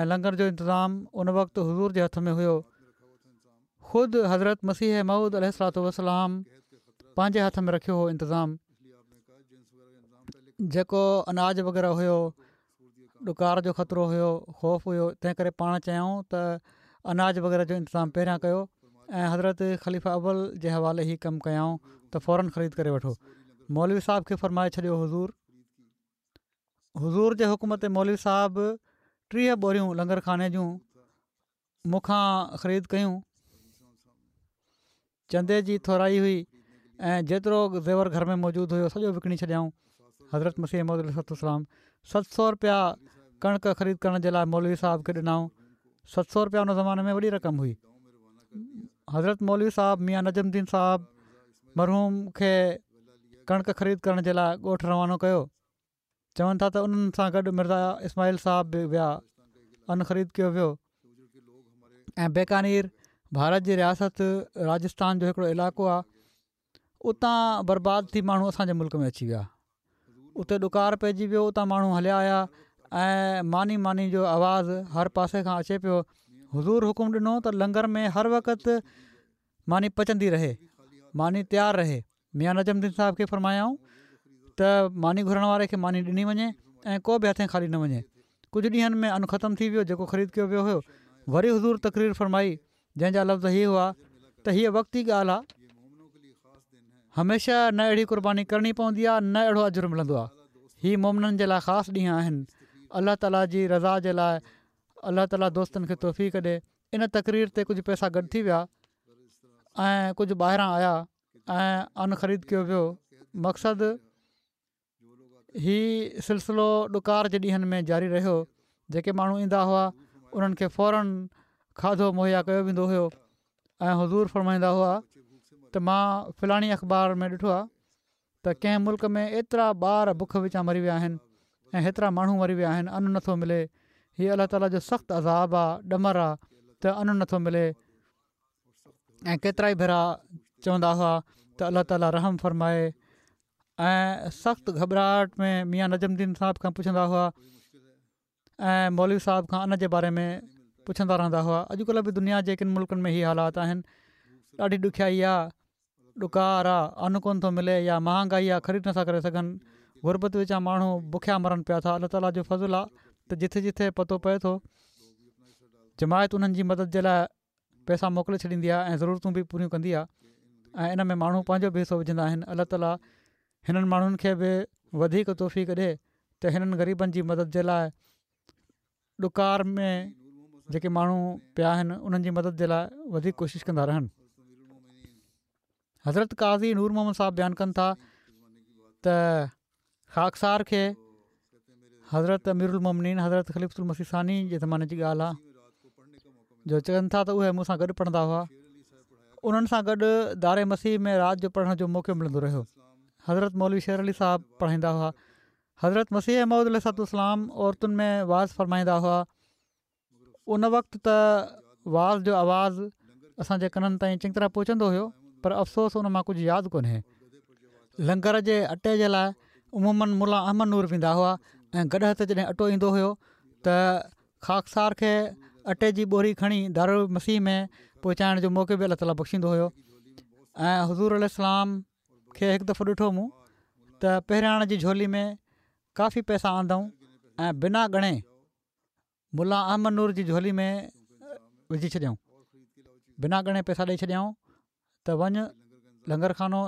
۽ لنگر جو انتظام ان وقت حضور جي هٿ ۾ هيو. خود حضرت مسيح موعود عليه الصلوة والسلام پنهنجي هٿ ۾ رکيو هو انتظام جيڪو اناج وغيره هيو ڏڪار جو خطرو هيو خوف هيو تنهن ڪري پاڻ چيائون ته اناج وغيره جو انتظام پهريان ڪيو ۽ حضرت خليفه اول جي حوالي هي ڪم ڪيائون ته فورن خريد ڪري وٺو مولوي صاحب کي فرمائي ڇڏيو حضور حضور جي حڪم تي مولوي صاحب 30 ٻوريون لنگر خاني جون مون کان خريد ڪيون. چندي جي ٿورائي هئي ۽ جيترو زيور گهر ۾ موجود هيو سڄو وڪڻي ڇڏيائون. حضرت مسيح موعود عليه الصلوة والسلام 700 رپيا ڪڻڪ خريد ڪرڻ جي لاء مولوي صاحب کي ڏنائون. 700 رپيا ان زماني ۾ وڏي رقم هئي. حضرت مولوي صاحب ميان نجم الدين صاحب مرحوم کي ڪڻڪ خريد ڪرڻ جي لاء ڳوٺ روانو ڪيو. چون ٿا ته انهن سان گڏ مرزا اسماعيل صاحب به ويا. ان خريد ڪيو ويو ۽ بيڪانير ڀارت جي رياست راجستان جو هڪڙو علائقو آهي اتان برباد ٿي ماڻهو اسان جي ملڪ ۾ اچي ويا. اتي ڏڪار پئجي ويو اتان ماڻهو هليا آيا ۽ ماني ماني جو آواز هر پاسي کان اچي پيو. حضور حڪم ڏنو ته لنگر ۾ هر وقت ماني پچندي رهي، ماني تيار رهي. ميان نجم الدين صاحب کي فرمايائون ته ماني گهرڻ واري کي ماني ڏني وڃي ۽ ڪو به هٿين خالي نه وڃي. ڪجهه ڏينهن ۾ ان ختم ٿي ويو جيڪو خريد ڪيو ويو هيو. وري حضور تقرير فرمائي جنهن جا لفظ هي هئا ته هيء وقتي ڳالهه آ. هميشه نه اهڙي قرباني ڪرڻي پوندي آ نه اهڙو اجر ملندو آ. هي مومنن جي لاء خاص ڏينهن آهن. الله تعاليٰ جي رضا جي لاء. الله تعالي دوستن کي توفيق ڏي. ان تقرير تي ڪجهه پئسا گڏ ٿي ويا ۽ ڪجهه ٻاهران آيا ۽ ان خريد ڪيو ويو. مقصد هي سلسلو ڏڪار جي ڏينهن ۾ جاري رهيو. جيڪي ماڻهو ايندا هئا انهن کي فورن کاڌو مهيا ڪيو ويندو هيو ۽ حضور فرمائيندا هئا ته مان فلاڻي اخبار ۾ ڏٺو آهي ته ڪنهن ملڪ ۾ ايترا ٻار بک وچان مري ويا آهن ۽ هيترا ماڻهو مري ويا آهن ان نٿو ملي هي الله تعالي جو سخت عذاب آ ڏمر آ ته ان نٿو ملي ۽ ڪيترائي ڀيرا چوندا هئا ته الله تعالي رحم فرمائي ۽ سخت گهٻراهٽ ۾ ميان نجم الدين صاحب کان پڇندا هئا ۽ مولوي صاحب کان ان جي باري ۾ پڇندا رهندا هئا اڄڪلهه به دنيا جي ڪن ملڪن ۾ هي حالات آهن ڏاڍي ڏکيائي آ ڏڪار آ ان ڪون ٿو ملي يا مهانگائي آ خريد نٿا ڪري سگهن غربت وچان ماڻهو بکيا مرن پيا ٿا الله تعالي جو فضل آ ته جٿي جٿي پتو پئي ٿو جماعت انهن جي مدد جي لاء پئسا موڪلي ڇڏيندي آهي ۽ ضرورتون به پوريون ڪندي آهي ۽ ان ۾ ماڻهو پنهنجو به حصو وجهندا آهن الله تعالي هنن ماڻهن کي به وڌيڪ توفيق ڏي ته هنن غريبن جي مدد جي لاء ڏڪار ۾ جيڪي ماڻهو پيا آهن انهن جي مدد جي لاء وڌيڪ ڪوشش ڪندا رهن. حضرت قاضي نور محمد صاحب بيان ڪن ٿا ته خاڪسار کي حضرت امير المومنين حضرت خليفة المسيح ثاني جي زماني جي ڳالهه آهي جو چون ٿا ته اهي مون سان گڏ پڙهندا هئا انهن سان گڏ دار مسيح ۾ رات جو پڙهڻ جو موقعو ملندو رهيو حضرت مولوي شير علي صاحب پڙهائيندا هئا حضرت مسيح موعود عليه الصلوة والسلام عورتن ۾ وعظ فرمائيندا هئا ان وقت ته وعظ جو آواز اسان جي ڪنن تائين چڱي طرح پهچندو هيو پر افسوس ان مان ڪجهه ياد ڪونهي. لنگر جي اٽي جي لاء عموماً ملا احمد نور ويندا هئا ۽ گڏهه تي جڏهن اٽو ايندو هيو ته خاڪسار کي اٽي جي ٻوري کڻي دارالمسيح ۾ پهچائڻ جو موقعو به الله تعاليٰ بخشيندو هيو ۽ حضور عليه السلام کي هڪ دفعو ڏٺو مون ته پهراڻ جي جهولي ۾ ڪافي پئسا آندائون ۽ بنا ڳڻي ملا احمد نور جي جهولي ۾ وجهي ڇڏيائون بنا ڳڻي پئسا ڏئي ڇڏيائون ته وڃ لنگر خانو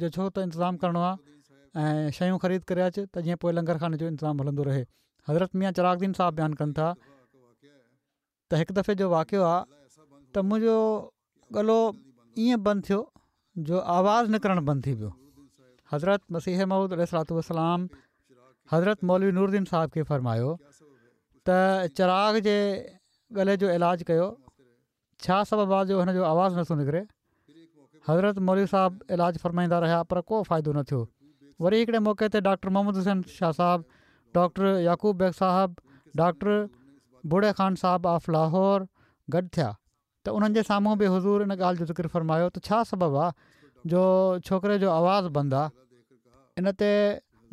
جو ڇو ته انتظام ڪرڻو آهي ۽ شيون خريد ڪري اچ ته جيئن پوء لنگر خاني جو انتظام هلندو رهي حضرت ميان چراغ دين صاحب بيان ڪن ٿا ته هڪ دفعي جو واقعو آهي ته منهنجو ڳلو ائين بند ٿيو جو آواز نڪرڻ بند ٿي ويو. حضرت مسيح موعود عليه الصلوة والسلام حضرت مولوي نور الدين صاحب کي فرمايو ته چراغ جي ڳلي جو علاج ڪيو ڇا سبب آ جو هن جو آواز نٿو نڪري حضرت مولوي صاحب علاج فرمائيندا رهيا پر ڪو فائدو نه ٿيو وري هڪڙي موقعي تي ڊاڪٽر محمد حسين شاهه صاحب ڊاڪٽر يعقوب بيگ صاحب ڊاڪٽر بوڙي خان صاحب آف لاهور گڏ ٿيا ته انهن جي سامهون به حضور ان ڳالهه جو ذڪر فرمايو ته ڇا سبب آ جو ڇوڪري جو آواز بند آ؟ ان تي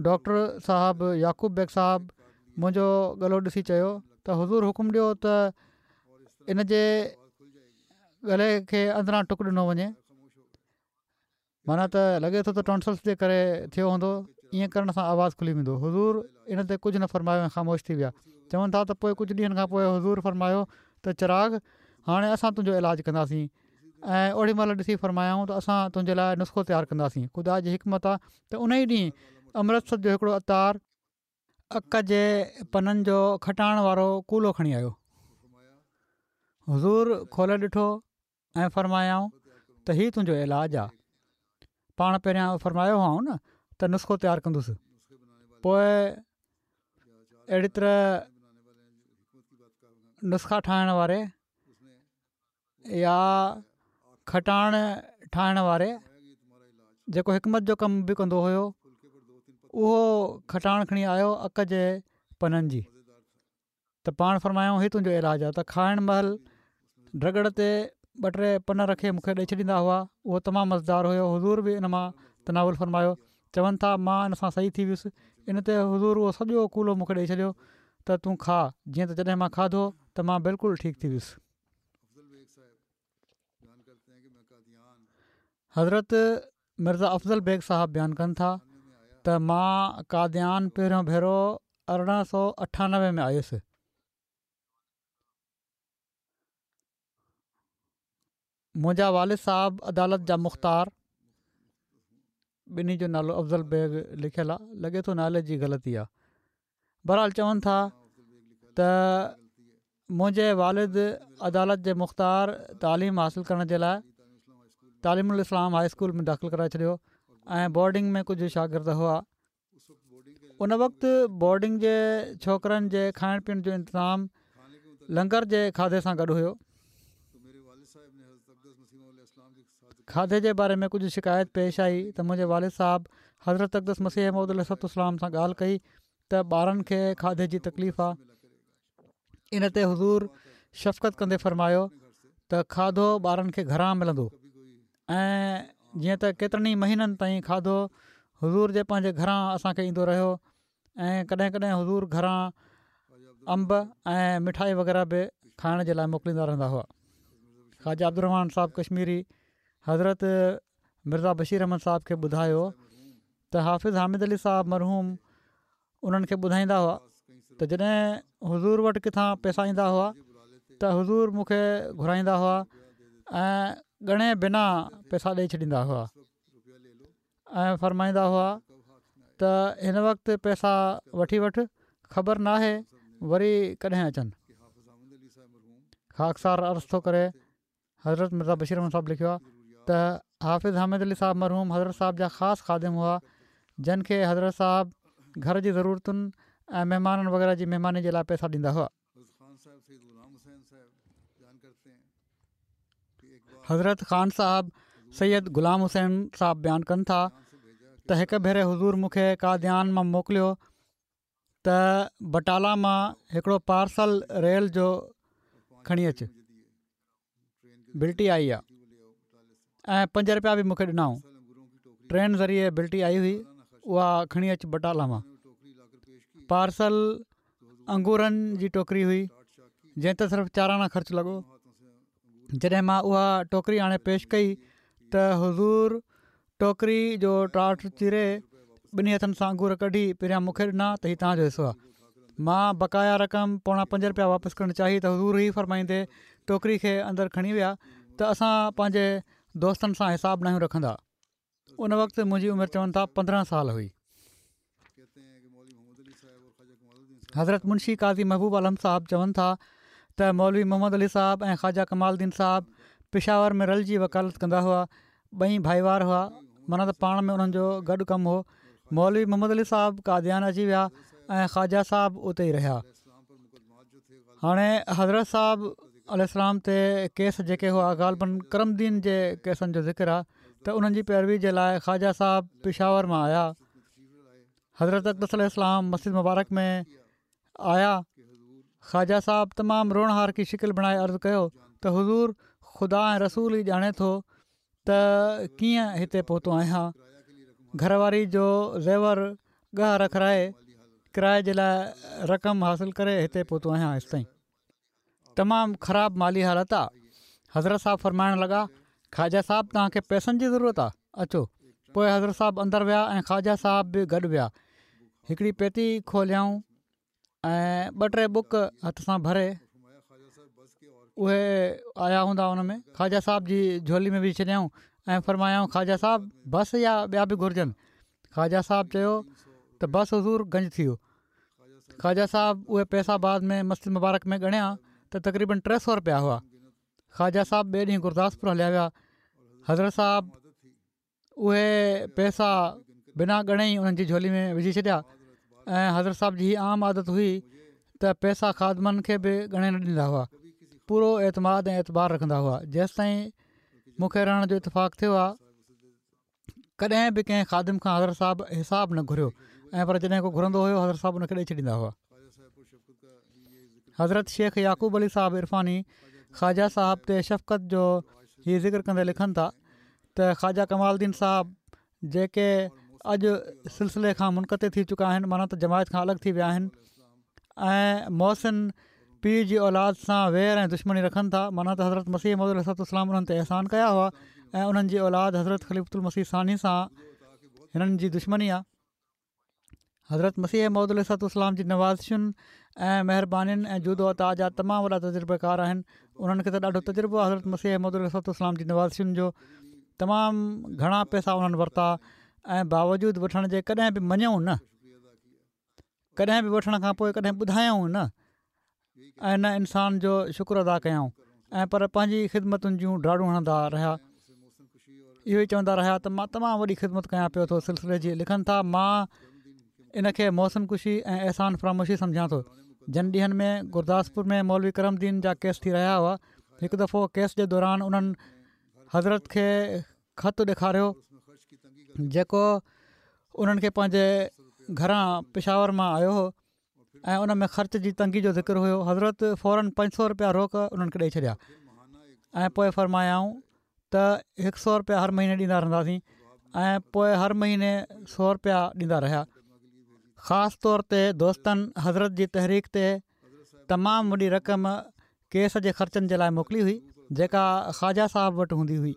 ڊاڪٽر صاحب يعقوب بيگ صاحب منهنجو ڳلو ڏسي چيو ته حضور حڪم ڏيو ته ان جي ڳلي کي اندران ٽڪ ڏنو وڃي. معنيٰ ته لڳي ٿو ته ٽانسلس جي ڪري ٿيو هوندو، ائين ڪرڻ سان آواز کلي ويندو. حضور ان تي ڪجهه نه فرمايو ۽ خاموش ٿي ويا. چون ٿا ته پوء ڪجهه ڏينهن کان پوء حضور فرمايو ته چراغ! هاڻي اسان تنهنجو علاج ڪنداسين ۽ اوڏي مهل ڏسي فرمايائون ته اسان تنهنجي لاء نسخو تيار ڪنداسين. خدا جي حڪمت آ ته انهي ڏينهن امرتسر جو هڪڙو عطار اڪ جي پنن جو کٽاڻ وارو ڪولو کڻي آيو. حضور کولي ڏٺو ۽ فرمايائون ته هي تنهنجو علاج آ. پاڻ پهريان فرمايو هئائون نه ته نسخو تيار ڪندس. پوء اهڙي طرح نسخا ٺاهڻ واري يا کٽاڻ ٺاهڻ واري جيڪو حڪمت جو ڪم به ڪندو هيو اهو کٽاڻ کڻي آيو اڪ جي پنن جي. ته پاڻ فرمايائون هي تنهنجو علاج آهي ته کائڻ مهل ڊڳڙ تي ٻه ٽي پن رکي مون کي ڏئي ڇڏيندا هئا اهو تمام مزيدار هيو حضور به ان مان تناول فرمايو چون ٿا مان ان سان صحيح ٿي ويس ان تي حضور اهو سڄو ڪولو مون کي ڏئي ڇڏيو ته تون کاء جيئن ته جڏهن مان کاڌو ته مان بلڪل ٺيڪ ٿي ويس. حضرت مرزا افضل بيگ صاحب بيان ڪن ٿا ته مان قاديان پهريون ڀيرو 1898 ۾ آيس. منهنجا والد صاحب عدالت جا مختار، ٻنهي جو نالو افضل بيگ لکيل آ، لڳي ٿو نالي جي غلطي آ. بهرحال چون ٿا ته. منهنجي والد عدالت جي مختار تعليم حاصل ڪرڻ جي لاء تعليم الاسلام هاء اسڪول ۾ داخل ڪرائي ڇڏيو ۽ بورڊنگ ۾ ڪجهه شاگرد هئا. ان وقت بورڊنگ جي ڇوڪرن جي کائڻ پيئڻ جو انتظام لنگر جي کاڌي سان گڏ هيو. کاڌي جي باري ۾ ڪجهه شڪايت پيش آئي ته منهنجي والد صاحب حضرت اقدس مسيح موعود عليه الصلوة والسلام سان ڳالهه ڪئي ته ٻارن کي کاڌي جي تڪليف آ. ان تي حضور شفقت ڪندي فرمايو ته کاڌو ٻارن کي گهران ملندو ۽ جيئن ته ڪيترن ئي مهينن تائين کاڌو حضور جي پنهنجي گهران اسان کي ايندو رهيو ۽ ڪڏهن ڪڏهن حضور گهران انب ۽ مٺائي وغيره به کائڻ جي لاء موڪليندا رهندا هئا. خواجه عبدالرحمان صاحب ڪشميري حضرت مرزا بشير احمد صاحب کي ٻڌايو ته حافظ حامد علي صاحب مرحوم انهن کي ٻڌائيندا هئا ته جڏهن حضور وٽ ڪٿان پئسا ايندا هئا ته حضور مون کي گهرائيندا هئا ۽ ڳڻي بنا پئسا ڏئي ڇڏيندا هئا ۽ فرمائيندا هئا ته هن وقت پئسا وٺي وٺ خبر ناهي وري ڪڏهن اچن. خاڪسار عرض ٿو ڪري حضرت مرزا بشير احمد صاحب لکيو آهي ته حافظ حامد علي صاحب مرحوم حضرت صاحب جا خاص خادم هئا جن کي حضرت صاحب گهر جي ضرورتن ۽ مهمانن وغيره جي مهماني جي لاء پئسا ڏيندا هئا. حضرت خان صاحب سيد غلام حسين صاحب بيان ڪن ٿا ته هڪ ڀيري حضور مون کي قاديان مان موڪليو ته بٽالا مان هڪڙو پارسل ريل جو کڻي اچ بلٽي آئي آ ۽ 5 رپيا به مونکي ڏنائون ٽرين ذريعي بلٽي آئي هئي اها کڻي اچ بٽالا مان پارسل انگورن جي ٽوڪري هئي جنهن تي صرف چار آنا خرچ لڳو جڏهن مان اها ٽوڪري آڻي پيش ڪئي ته حضور ٽوڪري جو ٽاٽ چيري ٻنهي هٿن سان انگور ڪڍي پهريان مون کي ڏنا ته هي توهان جو حصو آهي. مان بقايا رقم پوڻا پنج رپيا واپس ڪرڻ چاهي ته حضور هي فرمائيندي ٽوڪري کي اندر کڻي ويا ته اسان پنهنجي دوستن سان حساب ناهيون رکندا. ان وقت منهنجي عمر چون ٿا 15 سال هئي. حضرت منشي قاضي محبوب عالم صاحب چون ٿا ته مولوي محمد علي صاحب ۽ خواجه ڪمال الدين صاحب پشاور ۾ رلجي وڪالت ڪندا هئا ٻئي ڀائيوار هئا معنيٰ ته پاڻ ۾ انهن جو گڏ ڪم هو مولوي محمد علي صاحب قاديان اچي ويا ۽ خواجه صاحب اتي ئي رهيا هاڻي حضرت صاحب عليه السلام تي ڪيس جيڪي هئا غالباً ڪرم دين جي ڪيسن جو ذڪر آهي ته انهن جي پيروي جي لاء خواجه صاحب پشاور مان آيا حضرت اقدس عليه السلام مسجد مبارڪ ۾ آيا خواجه صاحب تمام روئڻهارڪي شڪل بڻائي عرض ڪيو ته حضور خدا ۽ رسول ئي ڄاڻي ٿو ته ڪيئن هتي پهتو آهيان. گهر واري جو زيور ڳهه رکرائي ڪرائي جي لاء رقم حاصل ڪري هتي پهتو آهيان هيستائين تمام خراب مالي حالت آ. حضرت صاحب فرمائڻ لڳا خواجه صاحب توهان کي پئسن جي ضرورت آ اچو. پوء حضرت صاحب اندر ويا ۽ خواجه صاحب به گڏ ويا. هڪڙي پيتي کوليائون ۽ ٻه ٽي ٻڪ هٿ سان ڀري اهي آيا هوندا ان ۾ خواجه صاحب جي جهولي ۾ وجهي ڇڏيائون ۽ فرمايائون خواجه صاحب بس يا ٻيا به گهرجن خواجه صاحب چيو ته بس حضور گنج ٿي ويو خواجه صاحب اهي پئسا بعد ۾ مسجد مبارڪ ۾ ڳڻيا ته تقريبن 300 رپيا هئا خواجه صاحب ٻئي ڏينهن گرداسپور هليا ويا حضرت صاحب اهي پئسا بنا ڳڻي ئي انهن جي جهولي ۾ وجهي ڇڏيا ۽ حضرت صاحب جي هي عام عادت هئي ته پئسا خادمن کي به ڳڻي نه ڏيندا هئا پورو اعتماد ۽ اعتبار رکندا هئا جيستائين مون کي رهڻ جو اتفاق ٿيو آهي ڪڏهن به ڪنهن خادم کان حضرت صاحب حساب نه گهريو ۽ پر جڏهن ڪو گهرندو هيو حضرت صاحب ان کي ڏئي ڇڏيندا هئا حضرت شيخ يعقوب علي صاحب عرفاني خواجه صاحب تي شفقت جو هي ذڪر ڪندي لکن ٿا ته خواجه ڪمال الدين صاحب جيڪي اڄ سلسلي کان منقطع ٿي چڪا آهن معنيٰ ته جماعت کان الڳ ٿي ويا آهن ۽ محسن پيء جي اولاد سان وير ۽ دشمني رکن ٿا معنيٰ ته حضرت مسيح موعود عليه الصلوة والسلام انهن تي احسان ڪيا هئا ۽ انهن جي اولاد حضرت خليفة المسيح ثاني سان هنن جي دشمني آهي حضرت مسيح موعود عليه الصلوة والسلام جي نوازشن ۽ مهربانين ۽ جود و عطا جا تمام وڏا تجربيڪار آهن انهن کي ته ڏاڍو تجربو آهي حضرت مسيح موعود عليه الصلوة والسلام جي نوازشن جو تمام گهڻا پئسا انهن ورتا ۽ باوجود وٺڻ جي ڪڏهن به مڃيائون نه ڪڏهن به وٺڻ کان پوء ڪڏهن ٻڌايائون نه. ۽ نه انسان جو شڪر ادا ڪيائون ۽ پر پنهنجي خدمتن جون ڊاڙون هڻندا رهيا. اهو ئي چوندا رهيا ته مان تمام وڏي خدمت ڪيان پيو ٿو سلسلي جي لکن ٿا مان ان کي محسن ڪشي ۽ احسان فراموشي سمجهان ٿو. جن ڏينهن ۾ گرداسپور ۾ مولوي ڪرم دين جا ڪيس ٿي رهيا هئا هڪ دفعو ڪيس جي دوران انهن حضرت کي خط ڏيکاريو جيڪو انهن کي پنهنجي گهران پشاور مان آيو هو ۽ ان ۾ خرچ جي تنگي جو ذڪر هيو حضرت فورن 500 رپيا روڪ انهن کي ڏئي ڇڏيا ۽ پوء فرمايائون ته هڪ سو رپيا هر مهيني ڏيندا رهنداسين ۽ پوء هر مهيني سو رپيا ڏيندا رهيا خاص طور تي دوستن حضرت جي تحريڪ تي تمام وڏي رقم ڪيس جي خرچن جي لاء موڪلي هئي جيڪا خواجه صاحب وٽ هوندي هئي.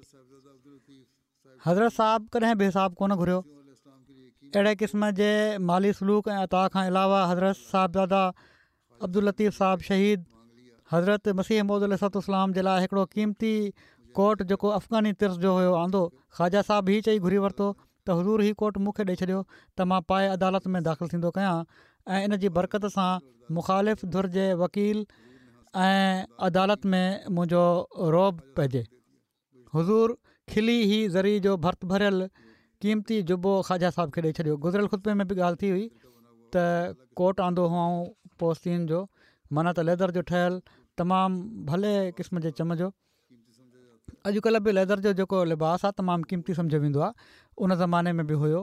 حضرت صاحب ڪڏهن به حساب ڪونه گهريو. اهڙي قسم جي مالي سلوڪ ۽ عطا کان علاوه حضرت صاحبزاده عبداللطيف صاحب شهيد حضرت مسيح موعود عليه الصلوة والسلام جي لاء هڪڙو قيمتي ڪوٽ جيڪو افغاني طرز جو هيو آندو. خواجه صاحب هي چئي گهري ورتو ته حضور هي ڪوٽ مون کي ڏئي ڇڏيو ته مان پائي عدالت ۾ داخل ٿيندو ڪيان ۽ ان جي برڪت سان مخالف ڌر جي وڪيل ۽ عدالت ۾ منهنجو رعب پئجي. حضور کلي هي زري جو ڀرت ڀريل قيمتي جبو خواجه صاحب کي ڏئي ڇڏيو. گذريل خطبي ۾ به ڳالهه ٿي هئي ته ڪوٽ آندو هئائون پوستين جو معنيٰ ته ليدر جو ٺهيل تمام ڀلي قسم جي چم جو. اڄڪلهه به ليدر جو جيڪو لباس آهي تمام قيمتي سمجهيو ويندو آهي ان زماني ۾ به هيو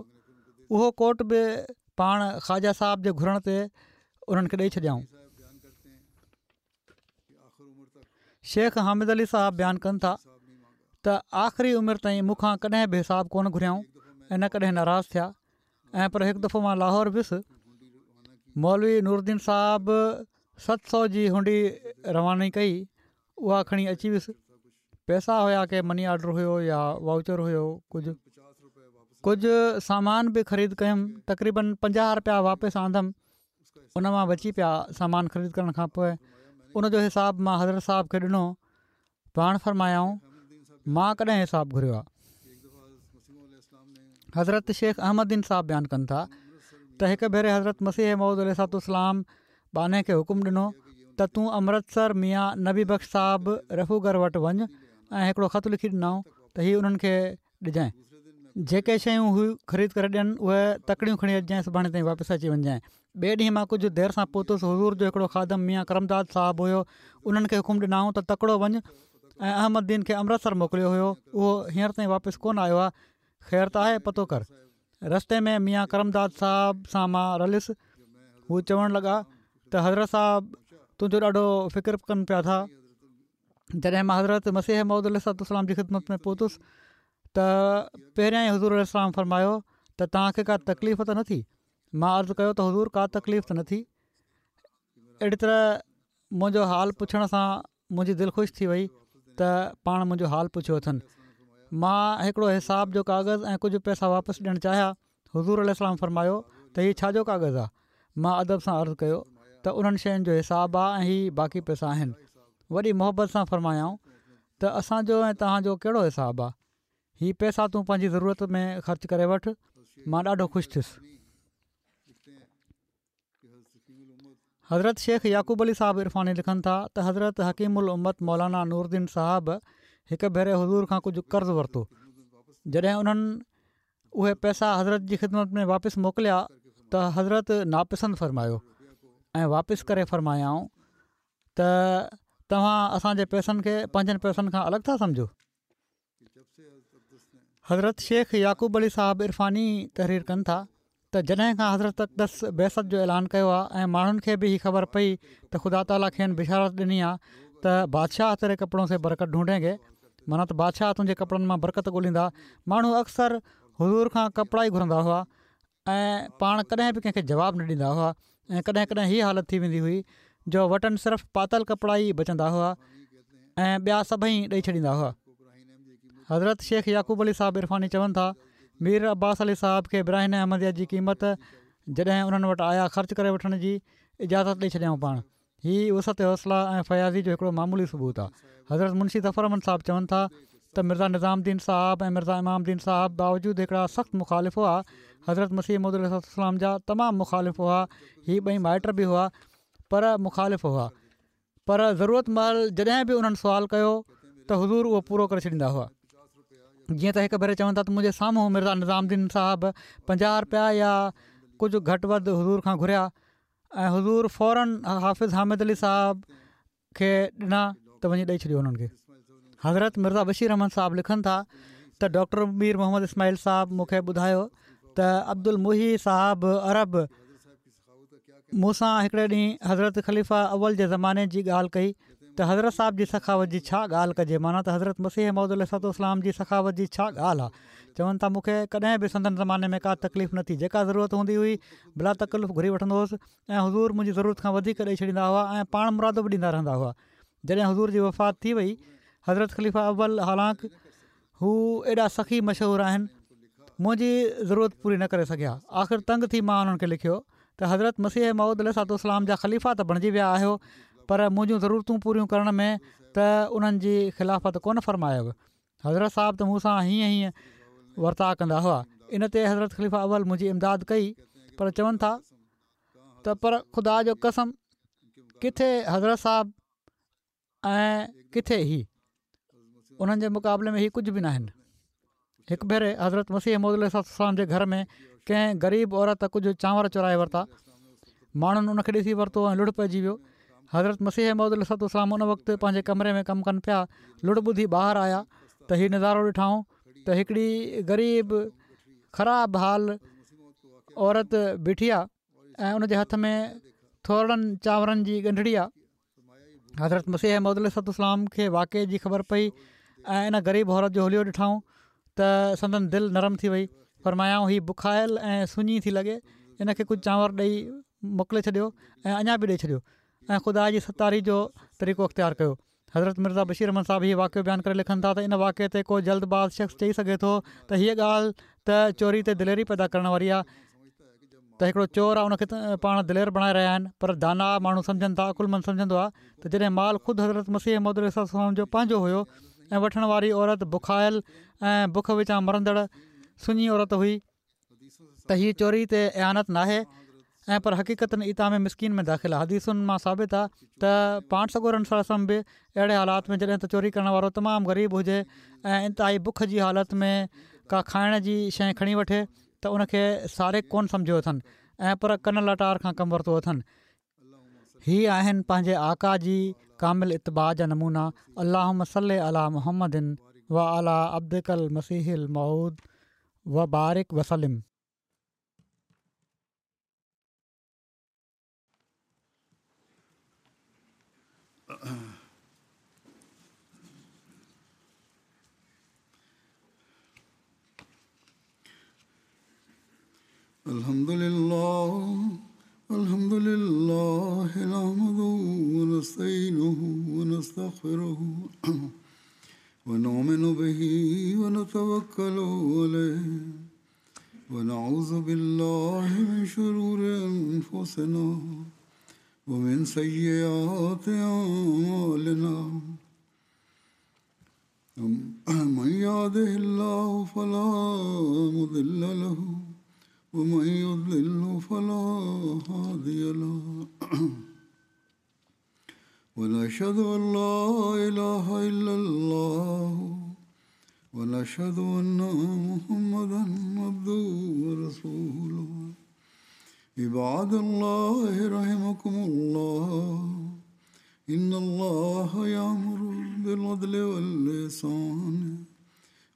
اهو ڪوٽ به پاڻ خواجه صاحب جي گهرڻ تي انهن کي ڏئي ڇڏيائون. شيخ حامد علي صاحب بيان ڪن ٿا ته آخري عمر تائين مون کان ڪڏهن به حساب ڪونه گهريائون ۽ نه ڪڏهن ناراض ٿيا ۽ پر هڪ دفعو مان لاهور ويس مولوي نورالدين صاحب 700 جي هنڊي رواني ڪئي اها کڻي اچي ويس. پئسا هيا ڪي مني آرڊر هيو يا وائوچر هيو ڪجهه ڪجهه سامان به خريد ڪيم تقريبن 50 رپيا واپس آندم ان مان بچي پيا سامان خريد ڪرڻ کان پوء ان جو حساب مان حضرت صاحب کي ڏنو پاڻ فرمايائون مان ڪڏهن حساب گهريو آهي حضرت شيخ احمد دين صاحب بيان ڪن ٿا ته هڪ ڀيري حضرت مسيح موعود عليه الصلوة والسلام ٻانهي کي حڪم ڏنو ته تون امرتسر ميان نبي بخش صاحب رفوگر وٽ وڃ ۽ هڪڙو خط لکي ڏنائون ته هي انهن کي ڏجانء. جيڪي شيون هو خريد ڪري ڏين اهي تڪڙيون کڻي اچجانء سڀاڻي تائين واپس اچي وڃجانء. ٻئي ڏينهن مان ڪجهه دير سان پهتس حضور جو هڪڙو خادم ميان ڪرمداد صاحب هيو انهن کي حڪم ڏنائون ته تڪڙو وڃ ۽ احمد دين کي امرتسر موڪليو هيو اهو هينئر تائين واپس ڪونه آيو آهي خير ته آهي پتو ڪر. رستي ۾ ميان ڪرمداد صاحب سان مان رليس هو چوڻ لڳا ته حضرت صاحب تنهنجو ڏاڍو فڪر ڪن پيا ٿا جڏهن مان حضرت مسيح موعود عليه الصلوة والسلام جي خدمت ۾ پهتس ته پهريان ئي حضور عليه السلام فرمايو ته توهان کي ڪا تڪليف ته نه ٿي مان عرض ڪيو ته حضور ڪا تڪليف ته نه ٿي اهڙي طرح منهنجو حال پڇڻ سان منهنجي دل خوش ٿي وئي ته پاڻ منهنجو حال پڇيو اٿن. مان هڪڙو حساب جو ڪاغذ ۽ ڪجهه پئسا واپس ڏيڻ چاهيا. حضور عليه السلام فرمايو ته هي ڇا جو ڪاغذ آ؟ مان ادب سان عرض ڪيو ته انهن شين جو حساب آ ۽ هي باقي پئسا آهن. وڏي محبت سان فرمايائون ته اسان جو ۽ توهان جو ڪهڙو حساب آ؟ هي پئسا تون پنهنجي ضرورت ۾ خرچ ڪري وٺ. مان ڏاڍو خوش ٿيس. حضرت شيخ يعقوب علي صاحب عرفاني لکن ٿا ته حضرت حڪيم الامت مولانا نورالدين صاحب هڪ ڀيري حضور کان ڪجهه قرض ورتو جڏهن انهن اهي پئسا حضرت جي خدمت ۾ واپس موڪليا ته حضرت ناپسند فرمايو ۽ واپس ڪري فرمايائون ته توهان اسان جي پئسن کي پنهنجن پئسن کان الڳ ٿا سمجهو حضرت شيخ يعقوب علي صاحب عرفاني تحرير ڪن ٿا ته جڏهن کان حضرت اقدس بعثت جو اعلان ڪيو آهي ۽ ماڻهن کي به هي خبر پئي ته خدا تعاليٰ کين بشارت ڏني آهي ته بادشاهه تيري ڪپڙون سي برڪت ڍونڍين گي معنيٰ ته بادشاهه تنهنجي ڪپڙن مان برڪت ڳوليندا ماڻهو اڪثر حضور کان ڪپڙا ئي گهرندا هئا ۽ پاڻ ڪڏهن به ڪنهن کي جواب نه ڏيندا هئا ۽ ڪڏهن ڪڏهن هيء حالت ٿي ويندي هئي جو وٽن صرف پاتل ڪپڙا ئي بچندا هئا ۽ ٻيا سڀئي ڏئي ڇڏيندا هئا. حضرت شيخ يعقوب علي صاحب عرفاني چون ٿا، مير عباس علي صاحب کي براهين احمديه جي قيمت جڏهن انهن وٽ آيا خرچ ڪري وٺڻ جي اجازت ڏئي ڇڏيائون پاڻ هي وسعت حوصله ۽ فياضي جو هڪڙو معمولي ثبوت آ. حضرت منشي ظفر احمد صاحب چون ٿا ته مرزا نظام الدين صاحب ۽ مرزا امام الدين صاحب باوجود هڪڙا سخت مخالف هئا، حضرت مسيح موعود عليه الصلوة والسلام جا تمام مخالف هئا، هي ٻئي مائٽ به هئا پر مخالف هئا. پر ضرورت مهل جڏهن به انهن سوال ڪيو ته حضور اهو پورو ڪري ڇڏيندا هئا. جيئن ته هڪ ڀيري چون ٿا ته منهنجي سامهون مرزا نظام الدين صاحب 50 رپيا يا ڪجهه گهٽ وڌ حضور کان گهريا ۽ حضور فورن حافظ حامد علي صاحب کي ڏنا ته وڃي ڏئي ڇڏيو انهن کي. حضرت مرزا بشير احمد صاحب لکن ٿا ته ڊاڪٽر مير محمد اسماعيل صاحب مون کي ٻڌايو ته عبدالمحي صاحب عرب مون سان هڪڙي ڏينهن حضرت خليفه اول جي زماني جي ڳالهه ڪئي ته حضرت صاحب جي سخاوت جي ڇا ڳالهه ڪجي معنيٰ ته حضرت مسيح موعود عليه الصلوة والسلام جي سخاوت جي ڇا ڳالهه آ چون ٿا مون کي ڪڏهن به سندن زماني ۾ ڪا تڪليف نه ٿي جيڪا ضرورت هوندي هئي بلا تڪلف گهري وٺندو هوس ۽ حضور منهنجي ضرورت کان وڌيڪ ڏئي ڇڏيندا هئا ۽ پاڻ مرادو به ڏيندا رهندا هئا. جڏهن حضور جي وفات ٿي وئي، حضرت خليفه اول حالانڪ هو ايڏا سخي مشهور آهن، منهنجي ضرورت پوري نه ڪري سگهيا. آخر تنگ ٿي مان انهن کي لکيو ته حضرت مسيح موعود عليه الصلوة والسلام جا خليفا ته بڻجي ويا آهيو پر منهنجون ضرورتون پوريون ڪرڻ ۾ ته انهن جي خلافت ڪونه فرمايو. حضرت صاحب ته مون سان هيئن هيئن ورتاء ڪندا هئا. ان تي حضرت خليفه اول منهنجي امداد ڪئي پر چون ٿا ته پر خدا جو قسم ڪٿي حضرت صاحب ۽ ڪٿي هي انهن جي مقابلي ۾ هي ڪجهه به ناهن. هڪ ڀيري حضرت مسيح موعود عليه الصلوة والسلام جي گهر ۾ ڪنهن غريب عورت ڪجهه چانور چورائي ورتا. ماڻهن ان کي ڏسي ورتو ۽ لڙ پئجي ويو. حضرت مسيح موعود عليه الصلوة والسلام ان وقت پنهنجي ڪمري ۾ ڪم ڪن پيا. لڙ ٻڌي ٻاهر آيا ته هي نظارو ڏٺائون ته هڪڙي غريب خراب حال عورت بيٺي آ ۽ ان جي هٿ ۾ ٿورڙن چانورن جي ڳنڍڙي آ. حضرت مسيح موعود عليه الصلوة والسلام کي واقعي جي خبر پئي ۽ ان غريب عورت جو حليو ڏٺائون ته سندن دل نرم ٿي وئي فرمايائون هي بکايل ۽ سڃي ٿي لڳي ان کي ڪجهه چانور ڏئي موڪلي ڇڏيو ۽ اڃا به ڏئي ڇڏيو ۽ خدا جي ستاري جو طريقو اختيار ڪيو حضرت مرزا بشير احمد صاحب هي واقعو بيان ڪري لکن ٿا ته ان واقعي تي ڪو جلد باز شخص چئي سگهي ٿو ته هيء ڳالهه ته چوري تي دليري پيدا ڪرڻ واري آهي ته هڪڙو چور آهي ان کي پاڻ دلير بڻائي رهيا آهن پر داناء ماڻهو سمجهن ٿا عقلمند سمجهندو آهي ته جڏهن مال خود حضرت مسيح موعود عليه الصلوة والسلام جو پنهنجو هيو ۽ وٺڻ واري عورت بکايل ۽ بک وچان مرندڙ سڃي عورت هئي ته هي چوري تي اعانت ناهي ۽ پر حقيقتاً اطعام مسڪين ۾ داخل آهي حديثن مان ثابت آهي ته پاڻ سڳورن صلي الله عليه وسلم به اهڙي حالات ۾ جڏهن ته چوري ڪرڻ وارو تمام غريب هجي ۽ انتهائي بک جي حالت ۾ ڪا کائڻ جي شيء کڻي وٺي ته ان کي سارق ڪونه سمجهيو اٿن ۽ پر ڪن لاٽار کان ڪم ورتو اٿن. هي آهن پنهنجي آقا جي ڪامل اتباع جا نمونا اللهم صل علي محمد وعلي عبدک المسيح الموعود وبارڪ وسلم. الحمد لله الحمد لله نحمده ونستعينه ونستغفره ونؤمن به ونتوكل عليه ونعوذ بالله من شرور أنفسنا ومن سيئات أعمالنا من يهده الله فلا مضل له ومن يضلل فلا هادي له ونشهد أن لا إله إلا الله ونشهد أن محمدا عبده ورسوله عباد الله رحمكم الله إن الله يأمر بالعدل والإحسان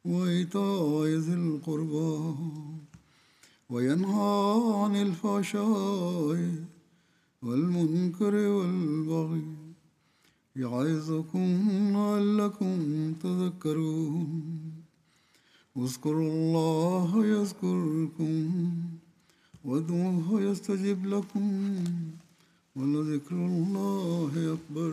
وإيتاء ذي القربى وينهى عن الفحشاء والمنكر والبغي يعظكم لعلكم تذكرون اذكروا الله يذكركم وادعوه يستجب لكم ولذكر الله أكبر.